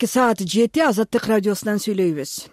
Саат 7 Азаттык радиосунан сүйлөйбүз.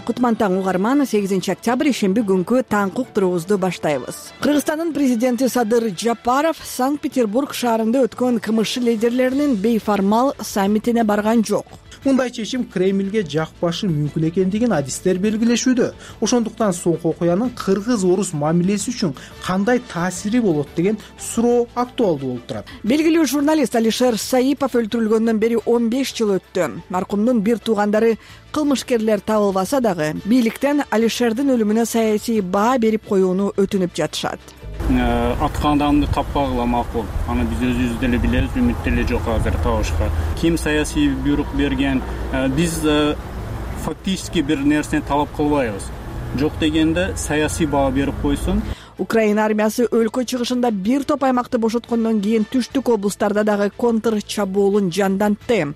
Кутман таң угарман, 8 октябрь ишемби күнкү таңкы уктуруубузду баштайбыз. Кыргызстандын президенти Садыр Жапаров Санкт-Петербург шаарында өткөн КМШ лидерлеринин бейформал саммитине барган жок. Мындай чечим Кремльге жакпашы мүмкүн экендигин адистер белгилешүүдө. Ошондуктан соңку окуянын кыргыз-орус мамилеси үчүн кандай таасири болот деген суроо актуалдуу болуп турат. Белгилүү журналист Алишер Саипов өлтүрүлгөндөн бери 15 жыл өттү. Маркумдун бир туугандары кылмышкерлер табылбаса дагы бийликтен Алишердин өлүмүнө саясий баа берип коюуну өтүнүп жатышат. Аткан адамды таппагыла макул. Аны биз өзүбүз деле билебиз, үмүт деле жок азыр табышка. Ким саясий буйрук берген? Биз фактически бир нерсени талап кылбайбыз. Жок дегенде саясий баа берип койсун. Украина армиясы өлкө чыгышында бир топ аймакты бошоткондон кийин түштүк облустарда дагы контр чабуулун жандантты.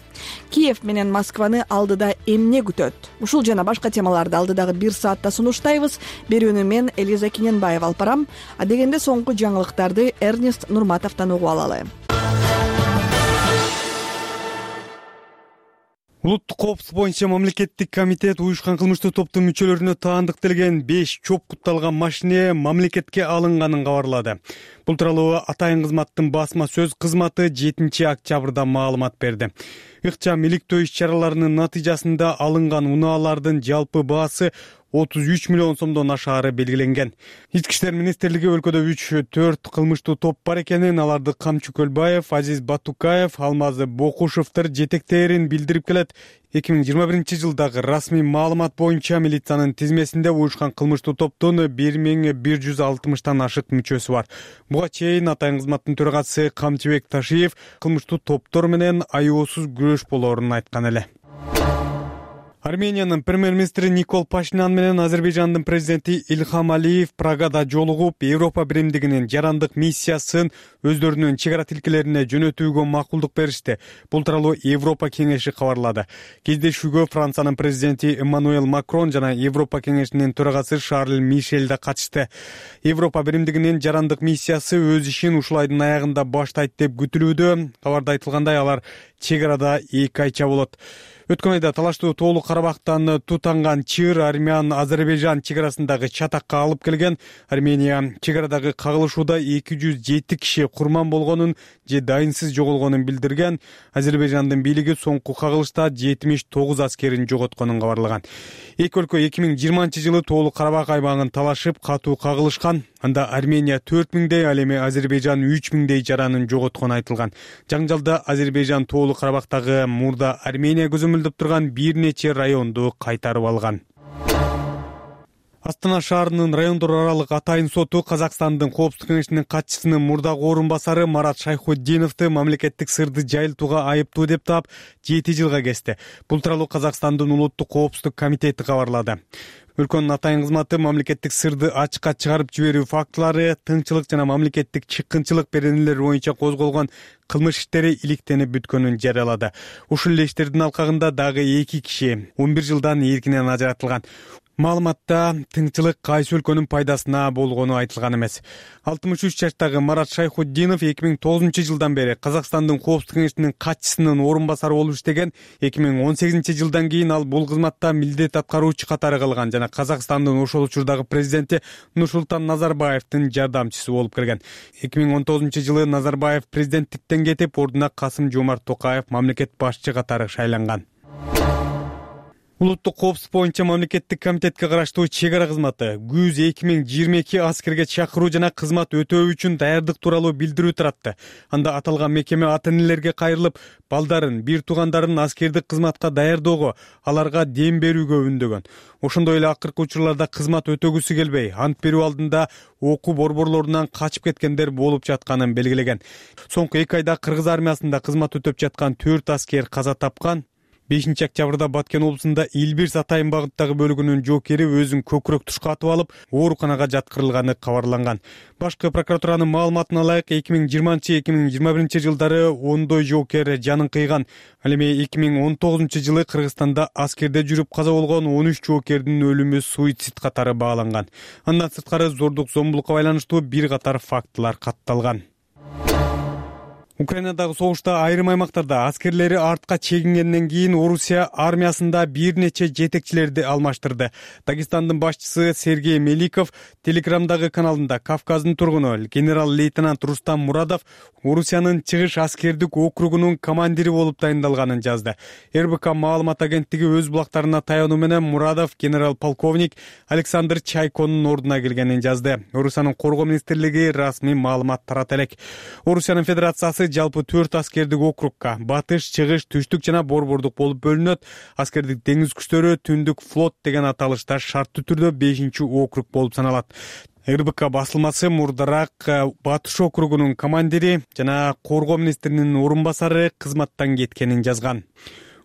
Киев менен Москваны алдыда эмне күтөт? Ушул жана башка темаларды алдыдагы 1 саатта сунуштайбыз. Берүүнү мен Элиза Кененбаева алып барам. Дегенде соңку жаңылыктарды Эрнест Нурматовдон угуп алалы. Улуттук коопсуздук боюнча мамлекеттик комитет уюшкан кылмыштуу топтун мүчөлөрүнө таандыкталган 5 чоп кутталган машине мамлекетке алынганын кабарлады. Бул тууралуу Атайын кызматтын басма сөз кызматы 7 октябрда маалымат берди. Ыкчам иликтөө иш-чараларынын натыйжасында алынган унаалардын жалпы баасы 33 миллион сомдон ашаары белгиленген. Ички иштер министрлиги өлкөдө 3-4 кылмыштуу топ бар экенин, аларды Камчы Көлбаев, Азиз Батукаев, Алмаз Бокушевдер жетектээрин билдирип келет. 2021 жылдагы расмий маалымат боюнча милициянын тизмесинде уюшкан кылмыштуу топтун 1160тан ашык мүчөсү бар. Буга чейин Атайын кызматтын төрагасы Камчыбек Ташиев кылмыштуу топтор менен аюусуз күрөш болоорун айткан эле. Армениянын премьер-министри Никол Пашинян менен Азербайжандын президенти Ильхам Алиев Прагада жолугуп, Европа биримдигинин жарандык миссиясын өздөрүнүн чек ара тилкелерине жөнөтүүгө макулдук беришти. Бул тууралуу Европа кеңеши кабарлады. Кездешүүгө Франциянын президенти Эммануэл Макрон жана Европа кеңешинин төрагасы Шарль Мишель да катышты. Европа биримдигинин жарандык миссиясы өз ишин ушул айдын аягында баштайт деп күтүлүүдө. Кабарда айтылгандай, алар чек арада 2 айча болот. Өткөн айда талаштуу Тоолу Карабактан тутанган чыр Армян Азербайжан чек арасындагы чатакка алып келген. Армения чек арадагы кагылышууда 207 киши курман болгонун же дайынсыз жоголгонун билдирген. Азербайжандын бийлиги соңку кагылышта 79 аскерин жоготконун кабарлаган. Эки өлкө 2020 жылы Тоолу Карабак аймагын талашып катуу кагылышкан. Анда Армения 4000дей, ал эми Азербайжан 3000дей жаранын жоготкону айтылган. Жаңжалда Азербайжан Тоолу Карабактагы мурда Армения көзөмөлдөп турган бир нече районду кайтарып алган. Астана шаарынын райондор аралык Атайын соту Казакстандын коопсуздук кеңешинин катчысынын мурдагы орун басары Марат Шайхутдиновду мамлекеттик сырды жайылтууга айыптуу деп таап 7 жылга кести. Бул тууралуу Казакстандын улуттук коопсуздук комитети кабарлады. Өлкөнүн Атайын кызматы мамлекеттик сырды ачыкка чыгарып жиберүү фактылары, тыңчылык жана мамлекеттик чыккынчылык беренелери боюнча козголгон кылмыш иштери иликтенип бүткөнүн жарыялады. Ушул эле иштердин алкагында дагы 2 киши 11 жылдан эркинен ажыратылган. Маалыматта тыңчылык кайсы өлкөнүн пайдасына болгону айтылган эмес. 63 жаштагы Марат Шайхутдинов 2009 жылдан бери Казакстандын коопсуздук кеңешинин катчысынын орун басары болуп иштеген. 2018 жылдан кийин ал бул кызматта милдет аткаруучу катары калган жана Казакстандын ошол учурдагы президенти Нурсултан Назарбаевдин жардамчысы болуп келген. 2019 жылы Назарбаев президенттиктен кетип, ордуна Касым Жомарт Токаев мамлекет башчы катары шайланган. Улуттук коопсуздук боюнча мамлекеттик комитетке караштуу чек ара кызматы күз 2022 аскерге чакыруу жана кызмат өтөө үчүн даярдык тууралуу билдирүү таратты. Анда аталган мекеме ата-энелерге кайрылып, балдарын, бир туугандарын аскердик кызматка даярдоого, аларга дем берүүгө үндөгөн. Ошондой эле акыркы учурларда кызмат өтөгүсү келбей, ант берүү алдында окуу борборлорунан качып кеткендер болуп жатканын белгилеген. Соңку 2 айда Кыргыз армиясында кызмат өтөп жаткан 4 аскер каза тапкан. 5-октябрда Баткен облусунда Илбирс Атайын багыттагы бөлүгүнүн жоокери өзүн көкүрөк тушка атып алып, ооруканага жаткырылганы кабарланган. Башкы прокуратуранын маалыматына ылайык 2020-2021 жылдары ондой жоокер жанын кыйган. Ал эми 2019 жылы Кыргызстанда аскерде жүрүп каза болгон 13 жоокердин өлүмү суицид катары бааланган. Андан сырткары зордук зомбулукка байланыштуу бир катар фактылар катталган. Украинадагы согушта айрым аймактарда аскерлери артка чегингенден кийин Орусия армиясында бир нече жетекчилерди алмаштырды. Дагестандын башчысы Сергей Меликов Телеграмдагы каналында Кавказдын тургуну генерал-лейтенант Рустам Мурадов Орусиянын чыгыш аскердик округунун командири болуп дайындалганын жазды. РБК маалымат агенттиги өз булактарына таянуу менен Мурадов генерал-полковник Александр Чайконун ордуна келгенин жазды. Орусиянын коргоо министрлиги расмий маалымат тарата элек. Орусиянын федерациясы жалпы 4 аскердик округка батыш, чыгыш, түштүк жана борбордук болуп бөлүнөт. Аскердик деңиз күчтөрү түндүк флот деген аталышта шарттуу түрдө 5-округ болуп саналат. РБК басылмасы мурдараак Батыш округунун командири жана коргоо министринин орун басары кызматтан кеткенин жазган.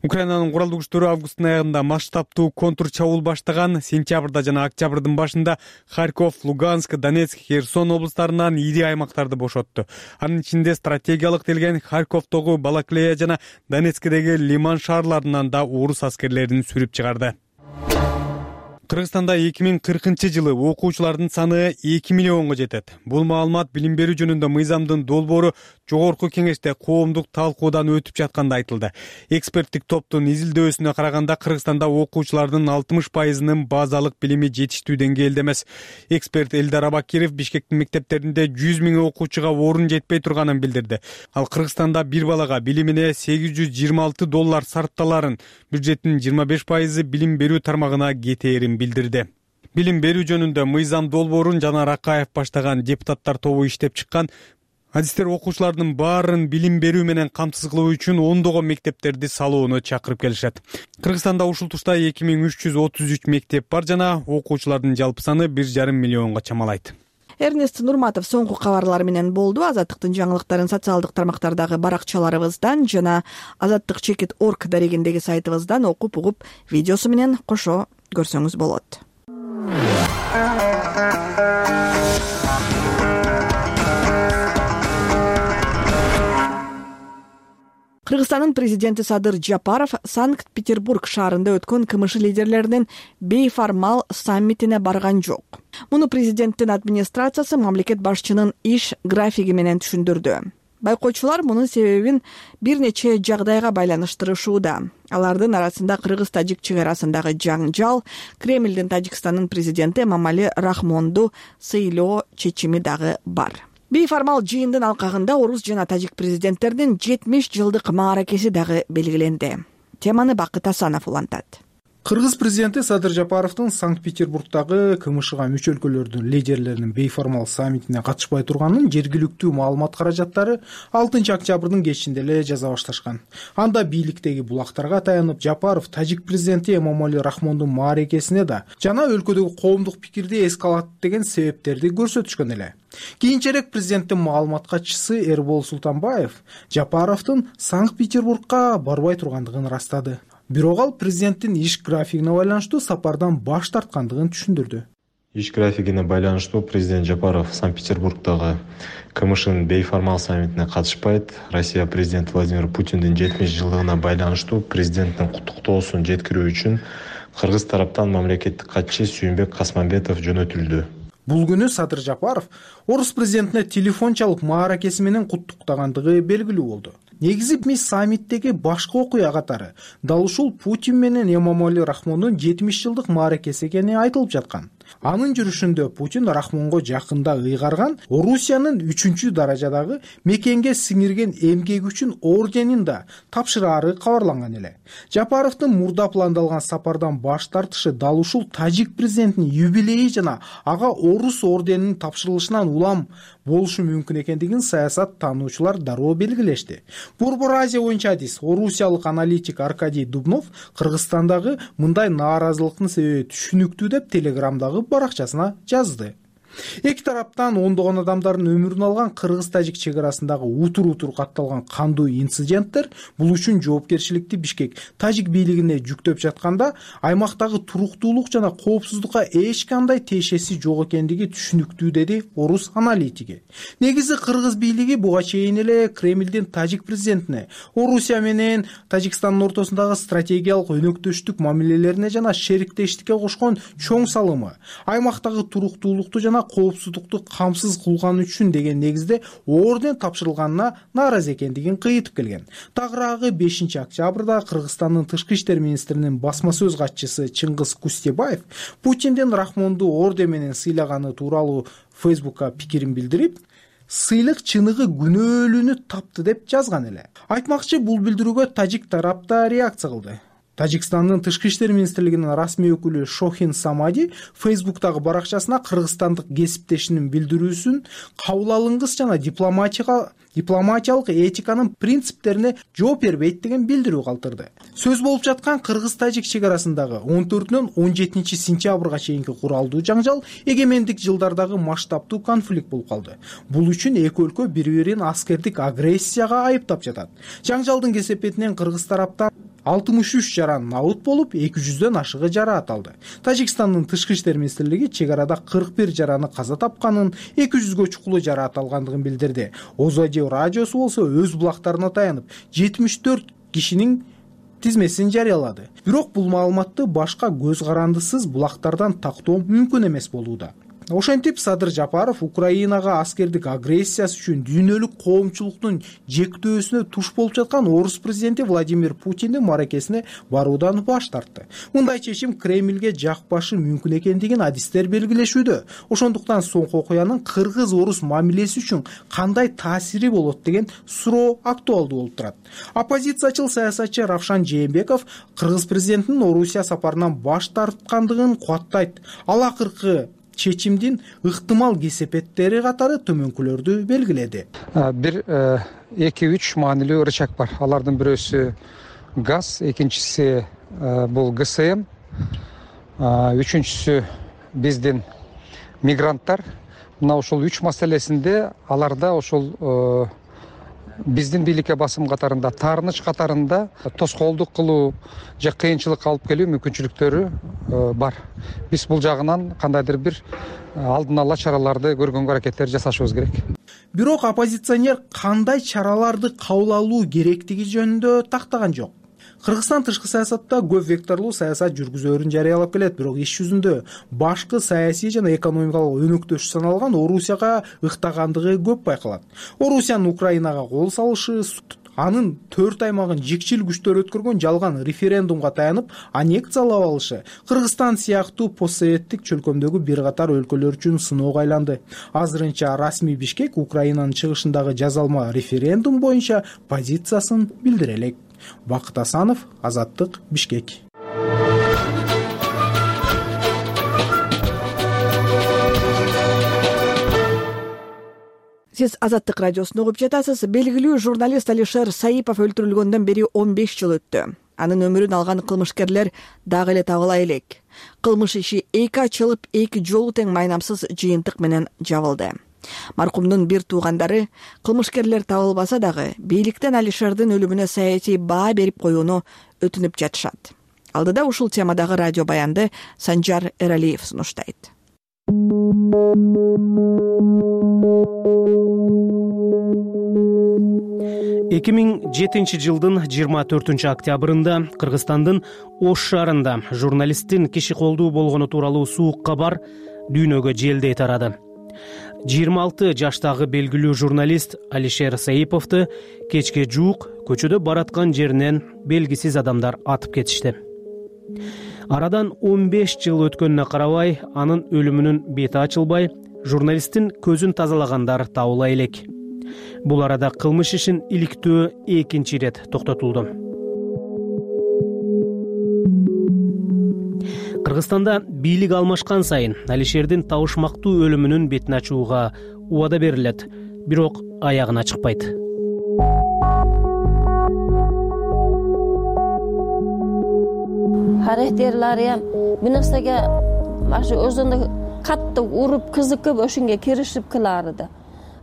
Украинанын куралдуу күчтөрү августтун аягында масштабтуу контур чабуул баштаган. Сентябрда жана октябрдын башында Харьков, Луганск, Донецк, Херсон облустарынан ири аймактарды бошотту. Анын ичинде стратегиялык делген Харьковдогу Балаклея жана Донецкдеги Лиман шаарларынан да орус аскерлерин сүрүп чыгарды. Кыргызстанда 2040 жылы окуучулардын саны 2 миллионго жетет. Бул маалымат билим берүү жөнүндө мыйзамдын долбоору жогорку кеңеште коомдук талкуудан өтүп жатканда айтылды. Эксперттик топтун изилдөөсүнө караганда Кыргызстанда окуучулардын 60%-нын базалык билими жетиштүү деңгээлде эмес. Эксперт Элдар Абакиров Бишкектин мектептеринде 100 000 окуучуга орун жетпей турганын билдирди. Ал Кыргызстанда бир балага билимине $826 сарпталарын, бюджеттин 25% билим берүү тармагына кетээрин билдирди. Билим берүү жөнүндө мыйзам долбоорун Жанар Акаев баштаган депутаттар тобу иштеп чыккан. Адистер окуучулардын баарын билим берүү менен камсыз кылуу үчүн ондогон мектептерди салууну чакырып келишет. Кыргызстанда ушул тушта 2333 мектеп бар жана окуучулардын жалпы саны 1,5 миллионго чамалайт. Эрнест Нурматов соңку кабарлар менен болду. Азаттыктын жаңылыктарын социалдык тармактардагы баракчаларыбыздан жана azattik.org дарегиндеги сайтыбыздан окуп угуп видеосу менен кошо көрсөңүз болот. Кыргызстандын президенти Садыр Жапаров Санкт-Петербург шаарында өткөн КМШ лидерлеринин бейформал саммитине барган жок. Муну президенттин администрациясы мамлекет башчынын иш графиги менен түшүндүрдү. Байкоочулар мунун себебин бир нече жагдайга байланыштырышууда. Алардын арасында Кыргыз-Тажик чек арасындагы жаңжал, Кремлдин Тажикстандын президенти Эмомали Рахмонду сыйлоо чечими дагы бар. Бейформал жыйындын алкагында орус жана тажик президенттеринин 70 жылдык мааракеси дагы белгиленди. Теманы Бакыт Асанов улантат. Кыргыз президенти Садыр Жапаровдун Санкт-Петербургдагы КМШга мүчө өлкөлөрдүн лидерлеринин бейформал саммитине катышпай турганын жергиликтүү маалымат каражаттары 6 октябрдын кечинде эле жаза башташкан. Анда бийликтеги булактарга таянып Жапаров тажик президенти Эмомали Рахмондун мааракесине да жана өлкөдөгү коомдук пикирди эске алат деген себептерди көрсөтүшкөн эле. Кийинчерээк президенттин маалымат катчысы Эрбол Султанбаев Жапаровдун Санкт-Петербургга барбай тургандыгын ырастады. Бирок ал президенттин иш графигине байланыштуу сапардан баш тарткандыгын түшүндүрдү. Иш графигине байланыштуу президент Жапаров Санкт-Петербургдагы КМШнын бейформал саммитине катышпайт. Россия президенти Владимир Путиндин 70 жылдыгына байланыштуу президенттин куттуктоосун жеткирүү үчүн кыргыз тараптан мамлекеттик катчы Сүйүнбек Касманбетов жөнөтүлдү. Бул күнү Садыр Жапаров орус президентине телефон чалып мааракеси менен куттуктагандыгы белгилүү болду. Негизи мис саммиттеги башкы окуя катары дал ушул Путин менен Эмомали Рахмондун 70 жылдык мааракеси экени айтылып жаткан. Анын жүрүшүндө Путин Рахмонго жакында ыйгарган Орусиянын 3-даражадагы мекенге сиңирген эмгеги үчүн орденин да тапшыраары кабарланган эле. Жапаровдун мурда пландалган сапардан баш тартышы дал ушул тажик президентинин юбилейи жана ага орус орденинин тапшырылышынан улам болушу мүмкүн экендигин саясат таануучулар дароо белгилешти. Борбор Азия боюнча адис орусиялык аналитик Аркадий Дубнов Кыргызстандагы мындай нааразылыктын себеби түшүнүктүү деп Телеграмдагы баракчасына жазды. Эки тараптан ондогон адамдардын өмүрүн алган кыргыз-тажик чек арасындагы утур катталган кандуу инциденттер бул үчүн жоопкерчиликти Бишкек тажик бийлигине жүктөп жатканда, аймактагы туруктуулук жана коопсуздукка эч кандай тиешеси жок экендиги түшүнүктүү, деди орус аналитиги. Негизи кыргыз бийлиги буга чейин эле Кремлдин тажик президентине Орусия менен Тажикстандын ортосундагы стратегиялык өнөктөштүк мамилелерине жана шериктештикке кошкон чоң салымы аймактагы туруктуулукту жана коопсуздукту камсыз кылган үчүн деген негизде орден тапшырылганына нааразы экендигин кыйтып келген. Тагыраагы 5-октябрда Кыргызстандын тышкы иштер министринин басма сөз катчысы Чыңгыз Кустебаев Путиндин Рахмонду орден менен сыйлаганы тууралуу Фейсбукка пикирин билдирип, сыйлык чыныгы күнөөлүүнү тапты деп жазган эле. Айтмакчы, бул билдирүүгө тажик тарап да реакция кылды. Тажикстандын тышкы иштер министрлигинин расмий өкүлү Шохин Самади Фейсбуктагы баракчасына кыргызстандык кесиптешинин билдирүүсүн кабыл алынгыс жана дипломатиялык этиканын принциптерине жооп бербейт деген билдирүү калтырды. Сөз болуп жаткан кыргыз-тажик чек арасындагы 14-нөн 17-сентябрга чейинки куралдуу жаңжал эгемендик жылдардагы масштабтуу конфликт болуп калды. Бул үчүн эки өлкө бири-бирин аскердик агрессияга айыптап жатат. Жаңжалдын кесепетинен кыргыз тараптан 63 набыт болуп, 200дөн ашыгы жараат алды. Тажикстандын тышкы иштер министрлиги чек арада 41 жараны каза тапканын, 200гө чукулу жараат алгандыгын билдирди. Озодио радиосу болсо өз булактарына таянып 74 кишинин тизмесин жарыялады. Бирок бул маалыматты башка көз карандысыз булактардан тактоо мүмкүн эмес болууда. Ошентип Садыр Жапаров Украинага аскердик агрессиясы үчүн дүйнөлүк коомчулуктун жектөөсүнө туш болуп жаткан орус президенти Владимир Путиндин маракесине баруудан баш тартты. Мындай чечим Кремлге жакпашы мүмкүн экендигин адистер белгилешүүдө. Ошондуктан соңку окуянын кыргыз-орус мамилеси үчүн кандай таасири болот деген суроо актуалдуу болуп турат. Оппозициячыл саясатчы Равшан Жээнбеков кыргыз президентинин Орусия сапарынан баш тарткандыгын кубаттайт. Ал акыркы чечимдин ыктымал кесепеттери катары төмөнкүлөрдү белгиледи. Бир 2-3 маанилүү рычаг бар. Алардын бирөөсү газ, экинчиси бул ГСМ, үчүнчүсү биздин мигранттар. Мына ошол 3 маселесинде аларда ошол биздин бийликке басым катарында, таарыныч катарында тоскоолдук кылуу же кыйынчылык алып келүү мүмкүнчүлүктөрү бар. Биз бул жагынан кандайдыр бир алдын ала чараларды көргөнгө аракеттер жасашыбыз керек. Бирок оппозиционер кандай чараларды кабыл алуу керектиги жөнүндө тактаган жок. Кыргызстан тышкы саясатта көп векторлуу саясат жүргүзөөрүн жарыялап келет, бирок иш жүзүндө башкы саясий жана экономикалык өнөктөш саналган Орусияга ыктагандыгы көп байкалат. Орусиянын Украинага кол салышы, анын 4 аймагын жикчил күчтөр өткөргөн жалган референдумга таянып аннексиялап алышы Кыргызстан сыяктуу постсоветтик чөлкөмдөгү бир катар өлкөлөр үчүн сыноого айланды. Азырынча расмий Бишкек Украинанын чыгышындагы жазалма референдум боюнча позициясын билдире элек. Бакыт Асанов, Азаттык, Бишкек. Сиз Азаттык радиосун угуп жатасыз. Белгилүү журналист Алишер Саипов өлтүрүлгөндөн бери 15 жыл өттү. Анын өмүрүн алган кылмышкерлер дагы эле табыла элек. Кылмыш иши 2 ачылып, 2 жолу тең майнамсыз жыйынтык менен жабылды. Маркумдун бир туугандары кылмышкерлер табылбаса дагы бийликтен Алишердин өлүмүнө саясий баа берип коюуну өтүнүп жатышат. Алдыда ушул темадагы радио баянды Санжар Эралиев сунуштайт. 2007 жылдын 24 октябрында Кыргызстандын Ош шаарында журналисттин киши колдуу болгону тууралуу суук кабар дүйнөгө желдей тарады. 26 жаштагы белгилүү журналист Алишер Саиповду кечке жуук көчөдө бараткан жеринен белгисиз адамдар атып кетишти. Арадан 15 жыл өткөнүнө карабай, анын өлүмүнүн бети ачылбай, журналисттин көзүн тазалагандар табыла элек. Бул арада кылмыш ишин иликтөө экинчи ирет токтотулду. Кыргызстанда бийлик алмашкан сайын Алишердин табышмактуу өлүмүнүн бетин ачууга убада берилет, бирок аягына чыкпайт. Характерлери ham bir narsaga mana shu o'zini катты уруп кызыкып ошонго киришип кыларды.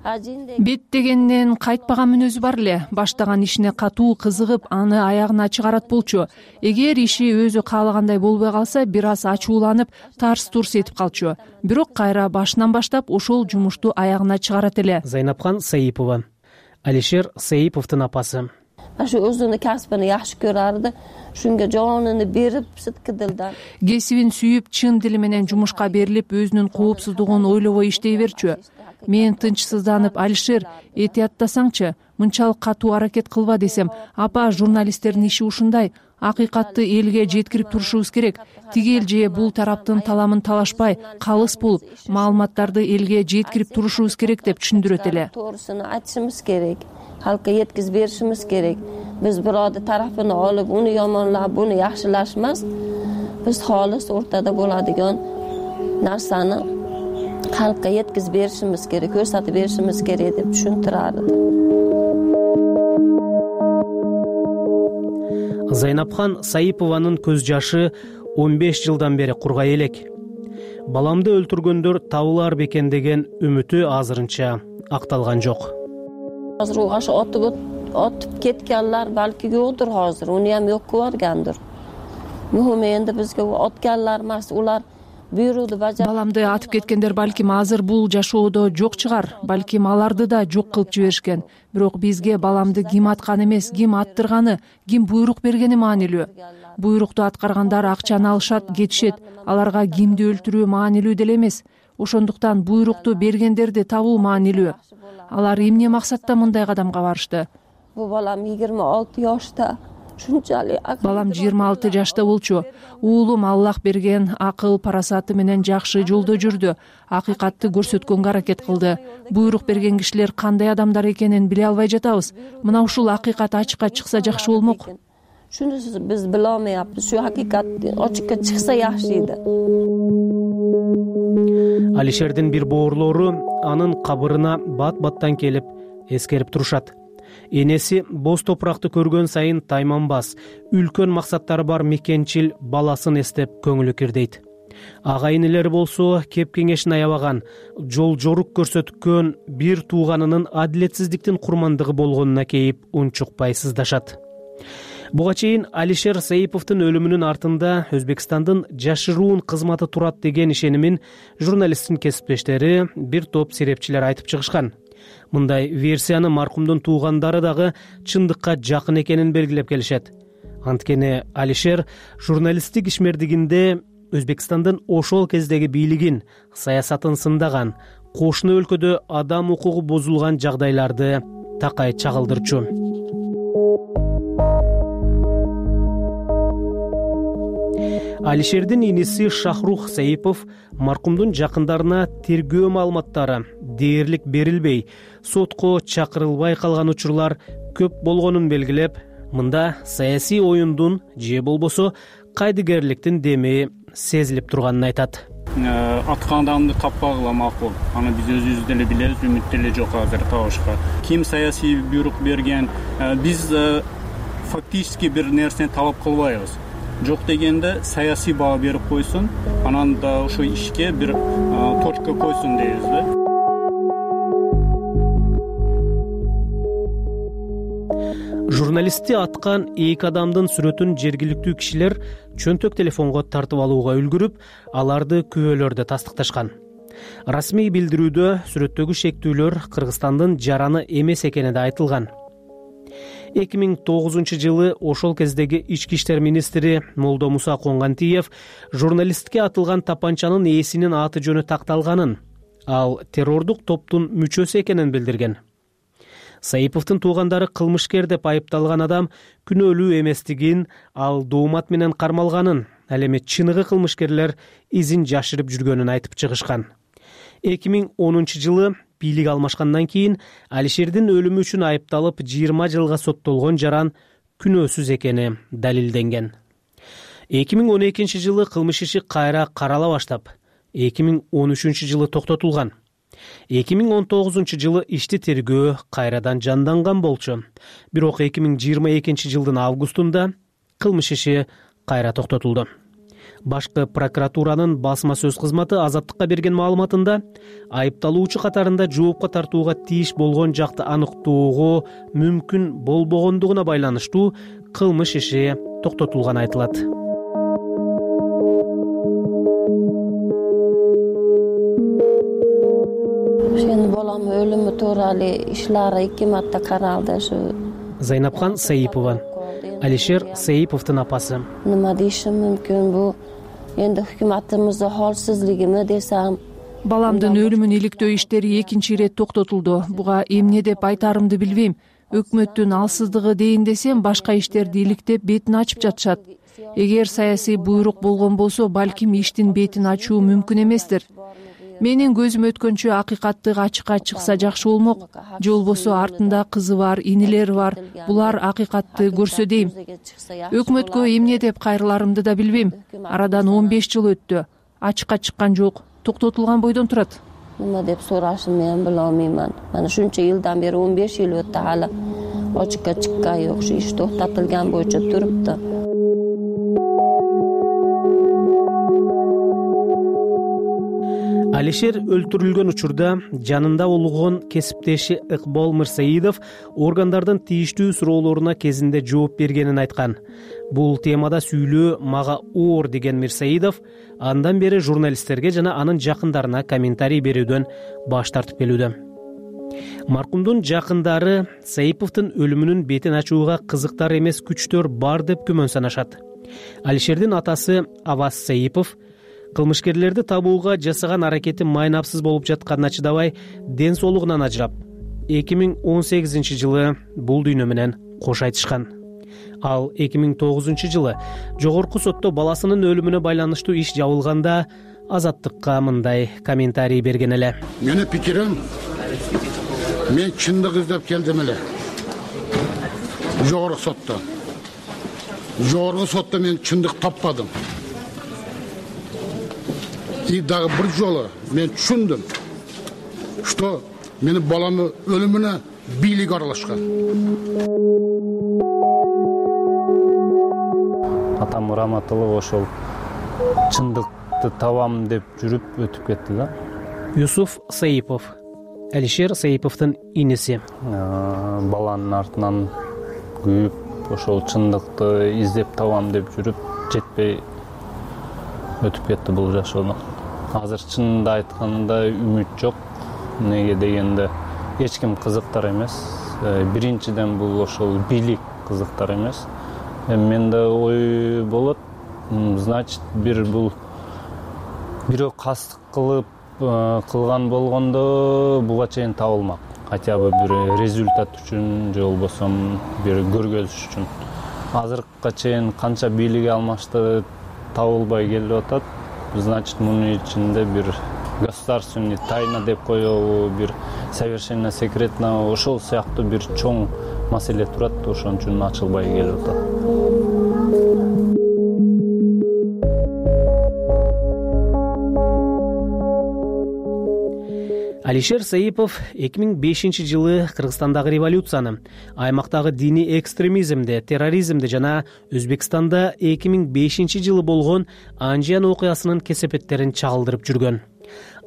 Беттегенден кайтпаган мүнөзү бар эле. Баштаган ишине катуу кызыгып, аны аягына чыгарат болчу. Эгер иши өзү каалагандай болбой калса, бир аз ачууланып, тарс-турс этип калчу. Бирок кайра башынан баштап ошол жумушту аягына чыгарат эле. Зайнапхан Саипова, Алишер Саиповдун апасы. Ашу өзүнүн касбын жакшы көрөрдү. Шунга жонуну берип, сыткы дилдан. Кесибин сүйүп, чын дили менен жумушка берилип, өзүнүн коопсуздугун ойлобой иштей берчү. Мен тынчсызданып, Алишер, этияттасаңчы, мынчалык катуу аракет кылба десем, апа, журналисттердин иши ушундай, акыйкатты элге жеткирип турушубуз керек. Тигел же бул тараптын таламын талашпай, калыс болуп, маалыматтарды элге жеткирип турушубуз керек деп түшүндүрөт эле. Тоорусуну айтышыбыз керек. Halka yetkizib berishimiz kerak. Biz birovni tarafini olib, uni yomonlab, buni yaxshilashmas. Biz xolis o'rtada bo'ladigan narsani xalqqa yetkazib berishimiz kerak, ko'rsatib berishimiz kerak deb tushuntirardi. Зайнапхан Саипованын көз жашы 15 жылдан бери кургай элек. Баламды өлтүргөндөр табылар бекен деген үмүтү азырынча акталган жок. Hozir u aşağı otib ketganlar balki yo'qdir hozir, uni ham yo'q ko'rgandir. Muhim endi bizga otganlar emas, ular buyruqni bajarib. Balamды атып кеткендер балким азыр бул жашоодо жок чыгар, балким аларды да жок кылып жиберишкен. Бирок бизге баламды ким аткан эмес, ким аттырганы, ким буйрук бергени маанилүү. Буйрукту аткаргандар акчаны алышат, кетишет. Аларга кимди өлтүрүү маанилүү деле эмес. Ошондуктан буйрукту бергендерди табуу маанилүү. Алар эмне максатта мындай кадамга барышты? Bu balam 26 yoshda. Балам 26 жашта болчу. Уулум Аллах берген акыл, парасаты менен жакшы жолдо жүрдү. Акыйкатты көрсөткөнгө аракет кылды. Буйрук берген кишилер кандай адамдар экенин биле албай жатабыз. Мына ушул акыйкат ачыкка чыкса жакшы болмок. Шуну биз биле алмайбыз. Шу акыйкат ачыкка чыкса жакшы edi. Алишердин бир боорлору анын кабырына бат-баттан келип эскерип турушат. Энеси боз топуракты көргөн сайын тайманбас, үлкөн максаттары бар мекенчил баласын эстеп көңүлү кирдейт. Ага инелери болсо кеп кеңешин аябаган, жол жорук көрсөткөн бир тууганынын адилетсиздиктин курмандыгы болгонуна кейип унчукпай сыздашат. Буга чейин Алишер Саиповдун өлүмүнүн артында Өзбекстандын жашыруун кызматы турат деген ишенимин журналисттин кесиптештери, бир топ серепчилер айтып чыгышкан. Мындай версияны маркумдун туугандары дагы чындыкка жакын экенин белгилеп келишет. Анткени Алишер журналисттик ишмердигинде Өзбекстандын ошол кездеги бийлигин, саясатын сындаган, кошуна өлкөдө адам укугу бузулган жагдайларды такай чагылдырчу. Алишердин иниси Шахрух Саипов маркумдун жакындарына тергөө маалыматтары дээрлик берилбей, сотко чакырылбай калган учурлар көп болгонун белгилеп, мында саясий оюндун же болбосо кайдыгерликтин деми сезилип турганын айтат. Аткан адамды таппагыла макул. Аны биз өзүбүз деле билебиз, үмүт деле жок азыр табышка. Ким саясий буйрук берген, биз фактически бир нерсени талап кылбайбыз. Жок дегенде саясий баа берип койсун, анан да ошо ишке бир точка койсун дейбиз да. Журналистти аткан эки адамдын сүрөтүн жергиликтүү кишилер чөнтөк телефонго тартып алууга үлгүрүп, аларды күбөлөрдө тастыкташкан. Расмий билдирүүдө сүрөттөгү шектүүлөр Кыргызстандын жараны эмес экени да айтылган. 2009 жылы ошол кездеги ички иштер министри Молдо Муса Конгантиев журналистке атылган тапанчанын ээсинин аты жөнү такталганын, ал террордук топтун мүчөсү экенин билдирген. Саиповдун туугандары кылмышкер деп айыпталган адам күнөөлүү эместигин, ал доомат менен кармалганын, ал эми чыныгы кылмышкерлер изин жашырып жүргөнүн айтып чыгышкан. 2010 жылы бийлик алмашкандан кийин Алишердин өлүмү үчүн айыпталып 20 жылга соттолгон жаран күнөөсүз экени далилденген. 2012 жылы кылмыш иши кайра карала баштап, 2013 жылы токтотулган. 2019 жылы ишти тергөө кайрадан жанданган болчу. Бирок 2022 жылдын августунда кылмыш иши кайра токтотулду. Башкы прокуратуранын басма сөз кызматы Азаттыкка берген маалыматында айыпталуучу катарында жоопко тартууга тийиш болгон жакты аныктоого мүмкүн болбогондугуна байланыштуу кылмыш иши токтотулганы айтылат. Endi bolam o'limi to'g'ri ishlari 2 marta qaraldi shu. Зайнапхан Саипова, Алишер Саиповдун апасы. Nima deyishim mumkin bu? Endi hukumatimizning holsizligimi desam, Баламдын өлүмүн иликтөө иштери экинчи ирет токтотулду. Буга эмне деп айтарымды билбейм. Өкмөттүн алсыздыгы дейин десем, башка иштерди иликтеп бетин ачып жатышат. Эгер саясий буйрук болгон болсо, балким иштин бетин ачуу мүмкүн эместир. Менин көзүм өткөнчө акыйкаттык ачыкка чыкса жакшы болмок. Же болбосо артында кызы бар, инилери бар. Булар акыйкатты көрсө дейм. Өкмөткө эмне деп кайрыларымды да билбейм. Арадан 15 жыл өттү. Ачыкка чыккан жок. Токтотулган бойдон турат. Nima deb so'rashimni ham bilolmayman. Mana shuncha yildan beri 15 yil o'tdi, hali ochiqqa chiqqan yo'q. Shu ish to'xtatilgan bo'yicha turibdi. Алишер өлтүрүлгөн учурда жанында болгон кесиптеши Ыкбол Мырсаидов органдардын тийиштүү суроолоруна кезинде жооп бергенин айткан. Бул темада сүйлөө мага оор деген Мирсаидов андан бери журналисттерге жана анын жакындарына комментарий берүүдөн баш тартып келүүдө. Маркумдун жакындары Саиповдун өлүмүнүн бетин ачууга кызыктар эмес күчтөр бар деп күмөн санашат. Алишердин атасы Аваз Саипов кылмышкерлерди табууга жасаган аракети майнапсыз болуп жатканына чыдабай, ден соолугунан ажырап, 2018-жылы бул дүйнө менен кош айтышкан. Ал 2009-жылы жогорку сотто баласынын өлүмүнө байланыштуу иш жабылганда Азаттыкка мындай комментарий берген эле. Менин пикирим, мен чындык издеп келдим эле. Жогорку сотто мен чындык таппадым. И дагы бир жолу мен түшүндүм, что менин баламдын өлүмүнө бийлик аралашкан. Атам Раматылов ошол чындыкты табам деп жүрүп өтүп кетти да. Юсуф Саипов, Алишер Саиповдун иниси. Баланын артынан күйүп, ошол чындыкты издеп табам деп жүрүп жетпей өтүп кетти бул жашоодон. Азыр чынында айтканда үмүт жок. Неге дегенде эч ким кызыктар эмес. Биринчиден бул ошол бийлик кызыктар эмес. Менде ой болот, значит, бул бирөө кастык кылган болгондо буга чейин табылмак. Хотя бы бир результат үчүн, же болбосо бир көргөзүш үчүн. Азыркыга чейин канча бийлик алмашты табылбай келип атат. Значит, мунун ичинде бир государственный тайна деп коебу, бир совершенно секретно, ошол сыяктуу бир чоң маселе турат, ошон үчүн ачылбай келип атат. Алишер Саипов 2005-жылы Кыргызстандагы революцияны, аймактагы диний экстремизмди, терроризмди жана Өзбекстанда 2005-жылы болгон Анжиян окуясынын кесепеттерин чагылдырып жүргөн.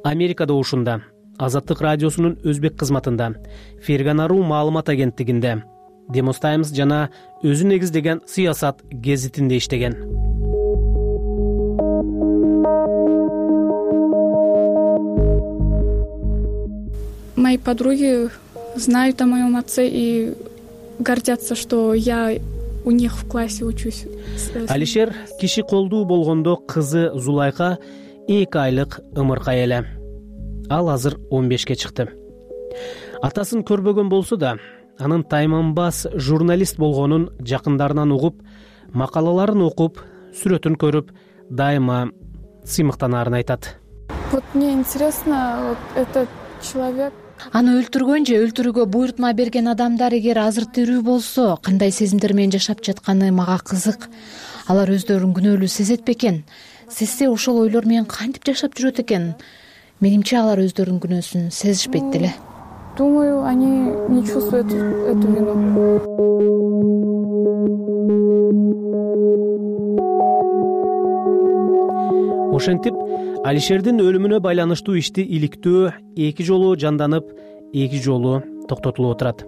Америкада ушунда, Азаттык радиосунун өзбек кызматында, Ферганару маалымат агенттигинде, Demos Times жана өзү негиздеген Сыясат гезитинде иштеген. Мои подруги знают о моем отце и гордятся, что я у них в классе учусь. Алишер киши колдуу болгондо кызы Зулайка 2 айлык ымыркай эле. Ал азыр 15ке чыкты. Атасын көрбөгөн болсо да, анын тайманбас журналист болгонун жакындарынан угуп, макалаларын окуп, сүрөтүн көрүп, дайыма сыймыктанаарын айтат. Вот мне интересно, вот этот человек. Аны өлтүргөн же өлтүрүүгө буйрутма берген адамдар эгер азыр тирүү болсо, кандай сезимдер менен жашап жатканы мага кызык. Алар өздөрүн күнөөлүү сезет бекен? Сезсе ошол ойлор менен кантип жашап жүрөт экен? Менимче алар өздөрүнүн күнөөсүн сезишпейт деле. Думаю, они не чувствуют эту вину. Ошентип Алишердин өлүмүнө байланыштуу ишти иликтөө 2 жолу жанданып, 2 жолу токтотулуп отурат.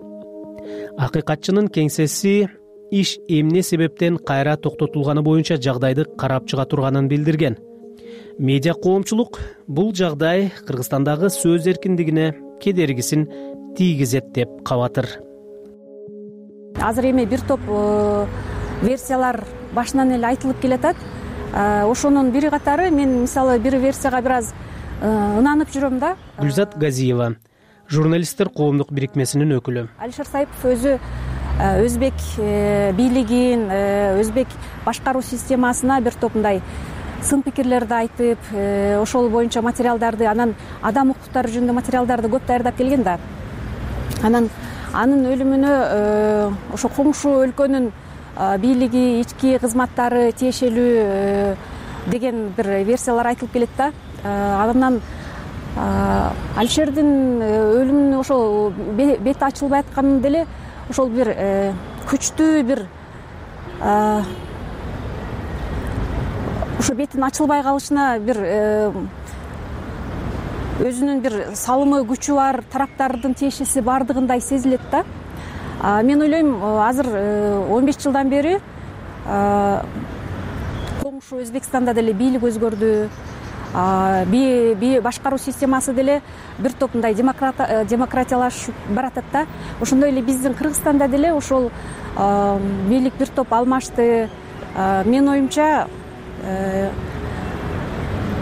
Акыйкатчынын кеңсеси иш эмне себептен кайра токтотулганы боюнча жагдайды карап чыга турганын билдирген. Медиа коомчулук бул жагдай Кыргызстандагы сөз эркиндигине кедергисин тийгизет деп кабатыр. Азыр эми бир топ версиялар башынан эле айтылып келатат. Ошонун бири катары мен мисалы бир версияга бир аз ынанып жүрөм да. Гүлзат Газиева, журналисттер коомдук бирикмесинин өкүлү. Алишер Саипов өзү өзбек бийлигин, өзбек башкаруу системасына бир топ мындай сын пикирлерди айтып, ошол боюнча материалдарды, анан адам укуктары жөнүндө материалдарды көп даярдап келген да. Анан анын өлүмүнө ошо коңшу өлкөнүн бийлиги, ички кызматтары тиешелүү деген бир версиялар айтылып келет да. Анан Алишердин өлүмүнүн ошол бети ачылбай атканы деле ошол бир күчтүү бир ошо бетин ачылбай калышына бир өзүнүн бир салымы, күчү бар тараптардын тиешеси бардыгындай сезилет да. Мен ойлойм, азыр 15 жылдан бери коңшу Өзбекстанда деле бийлик өзгөрдү. Башкаруу системасы деле бир топ мындай демократиялашып баратат да. Ошондой эле биздин Кыргызстанда деле ошол бийлик бир топ алмашты. Менин оюмча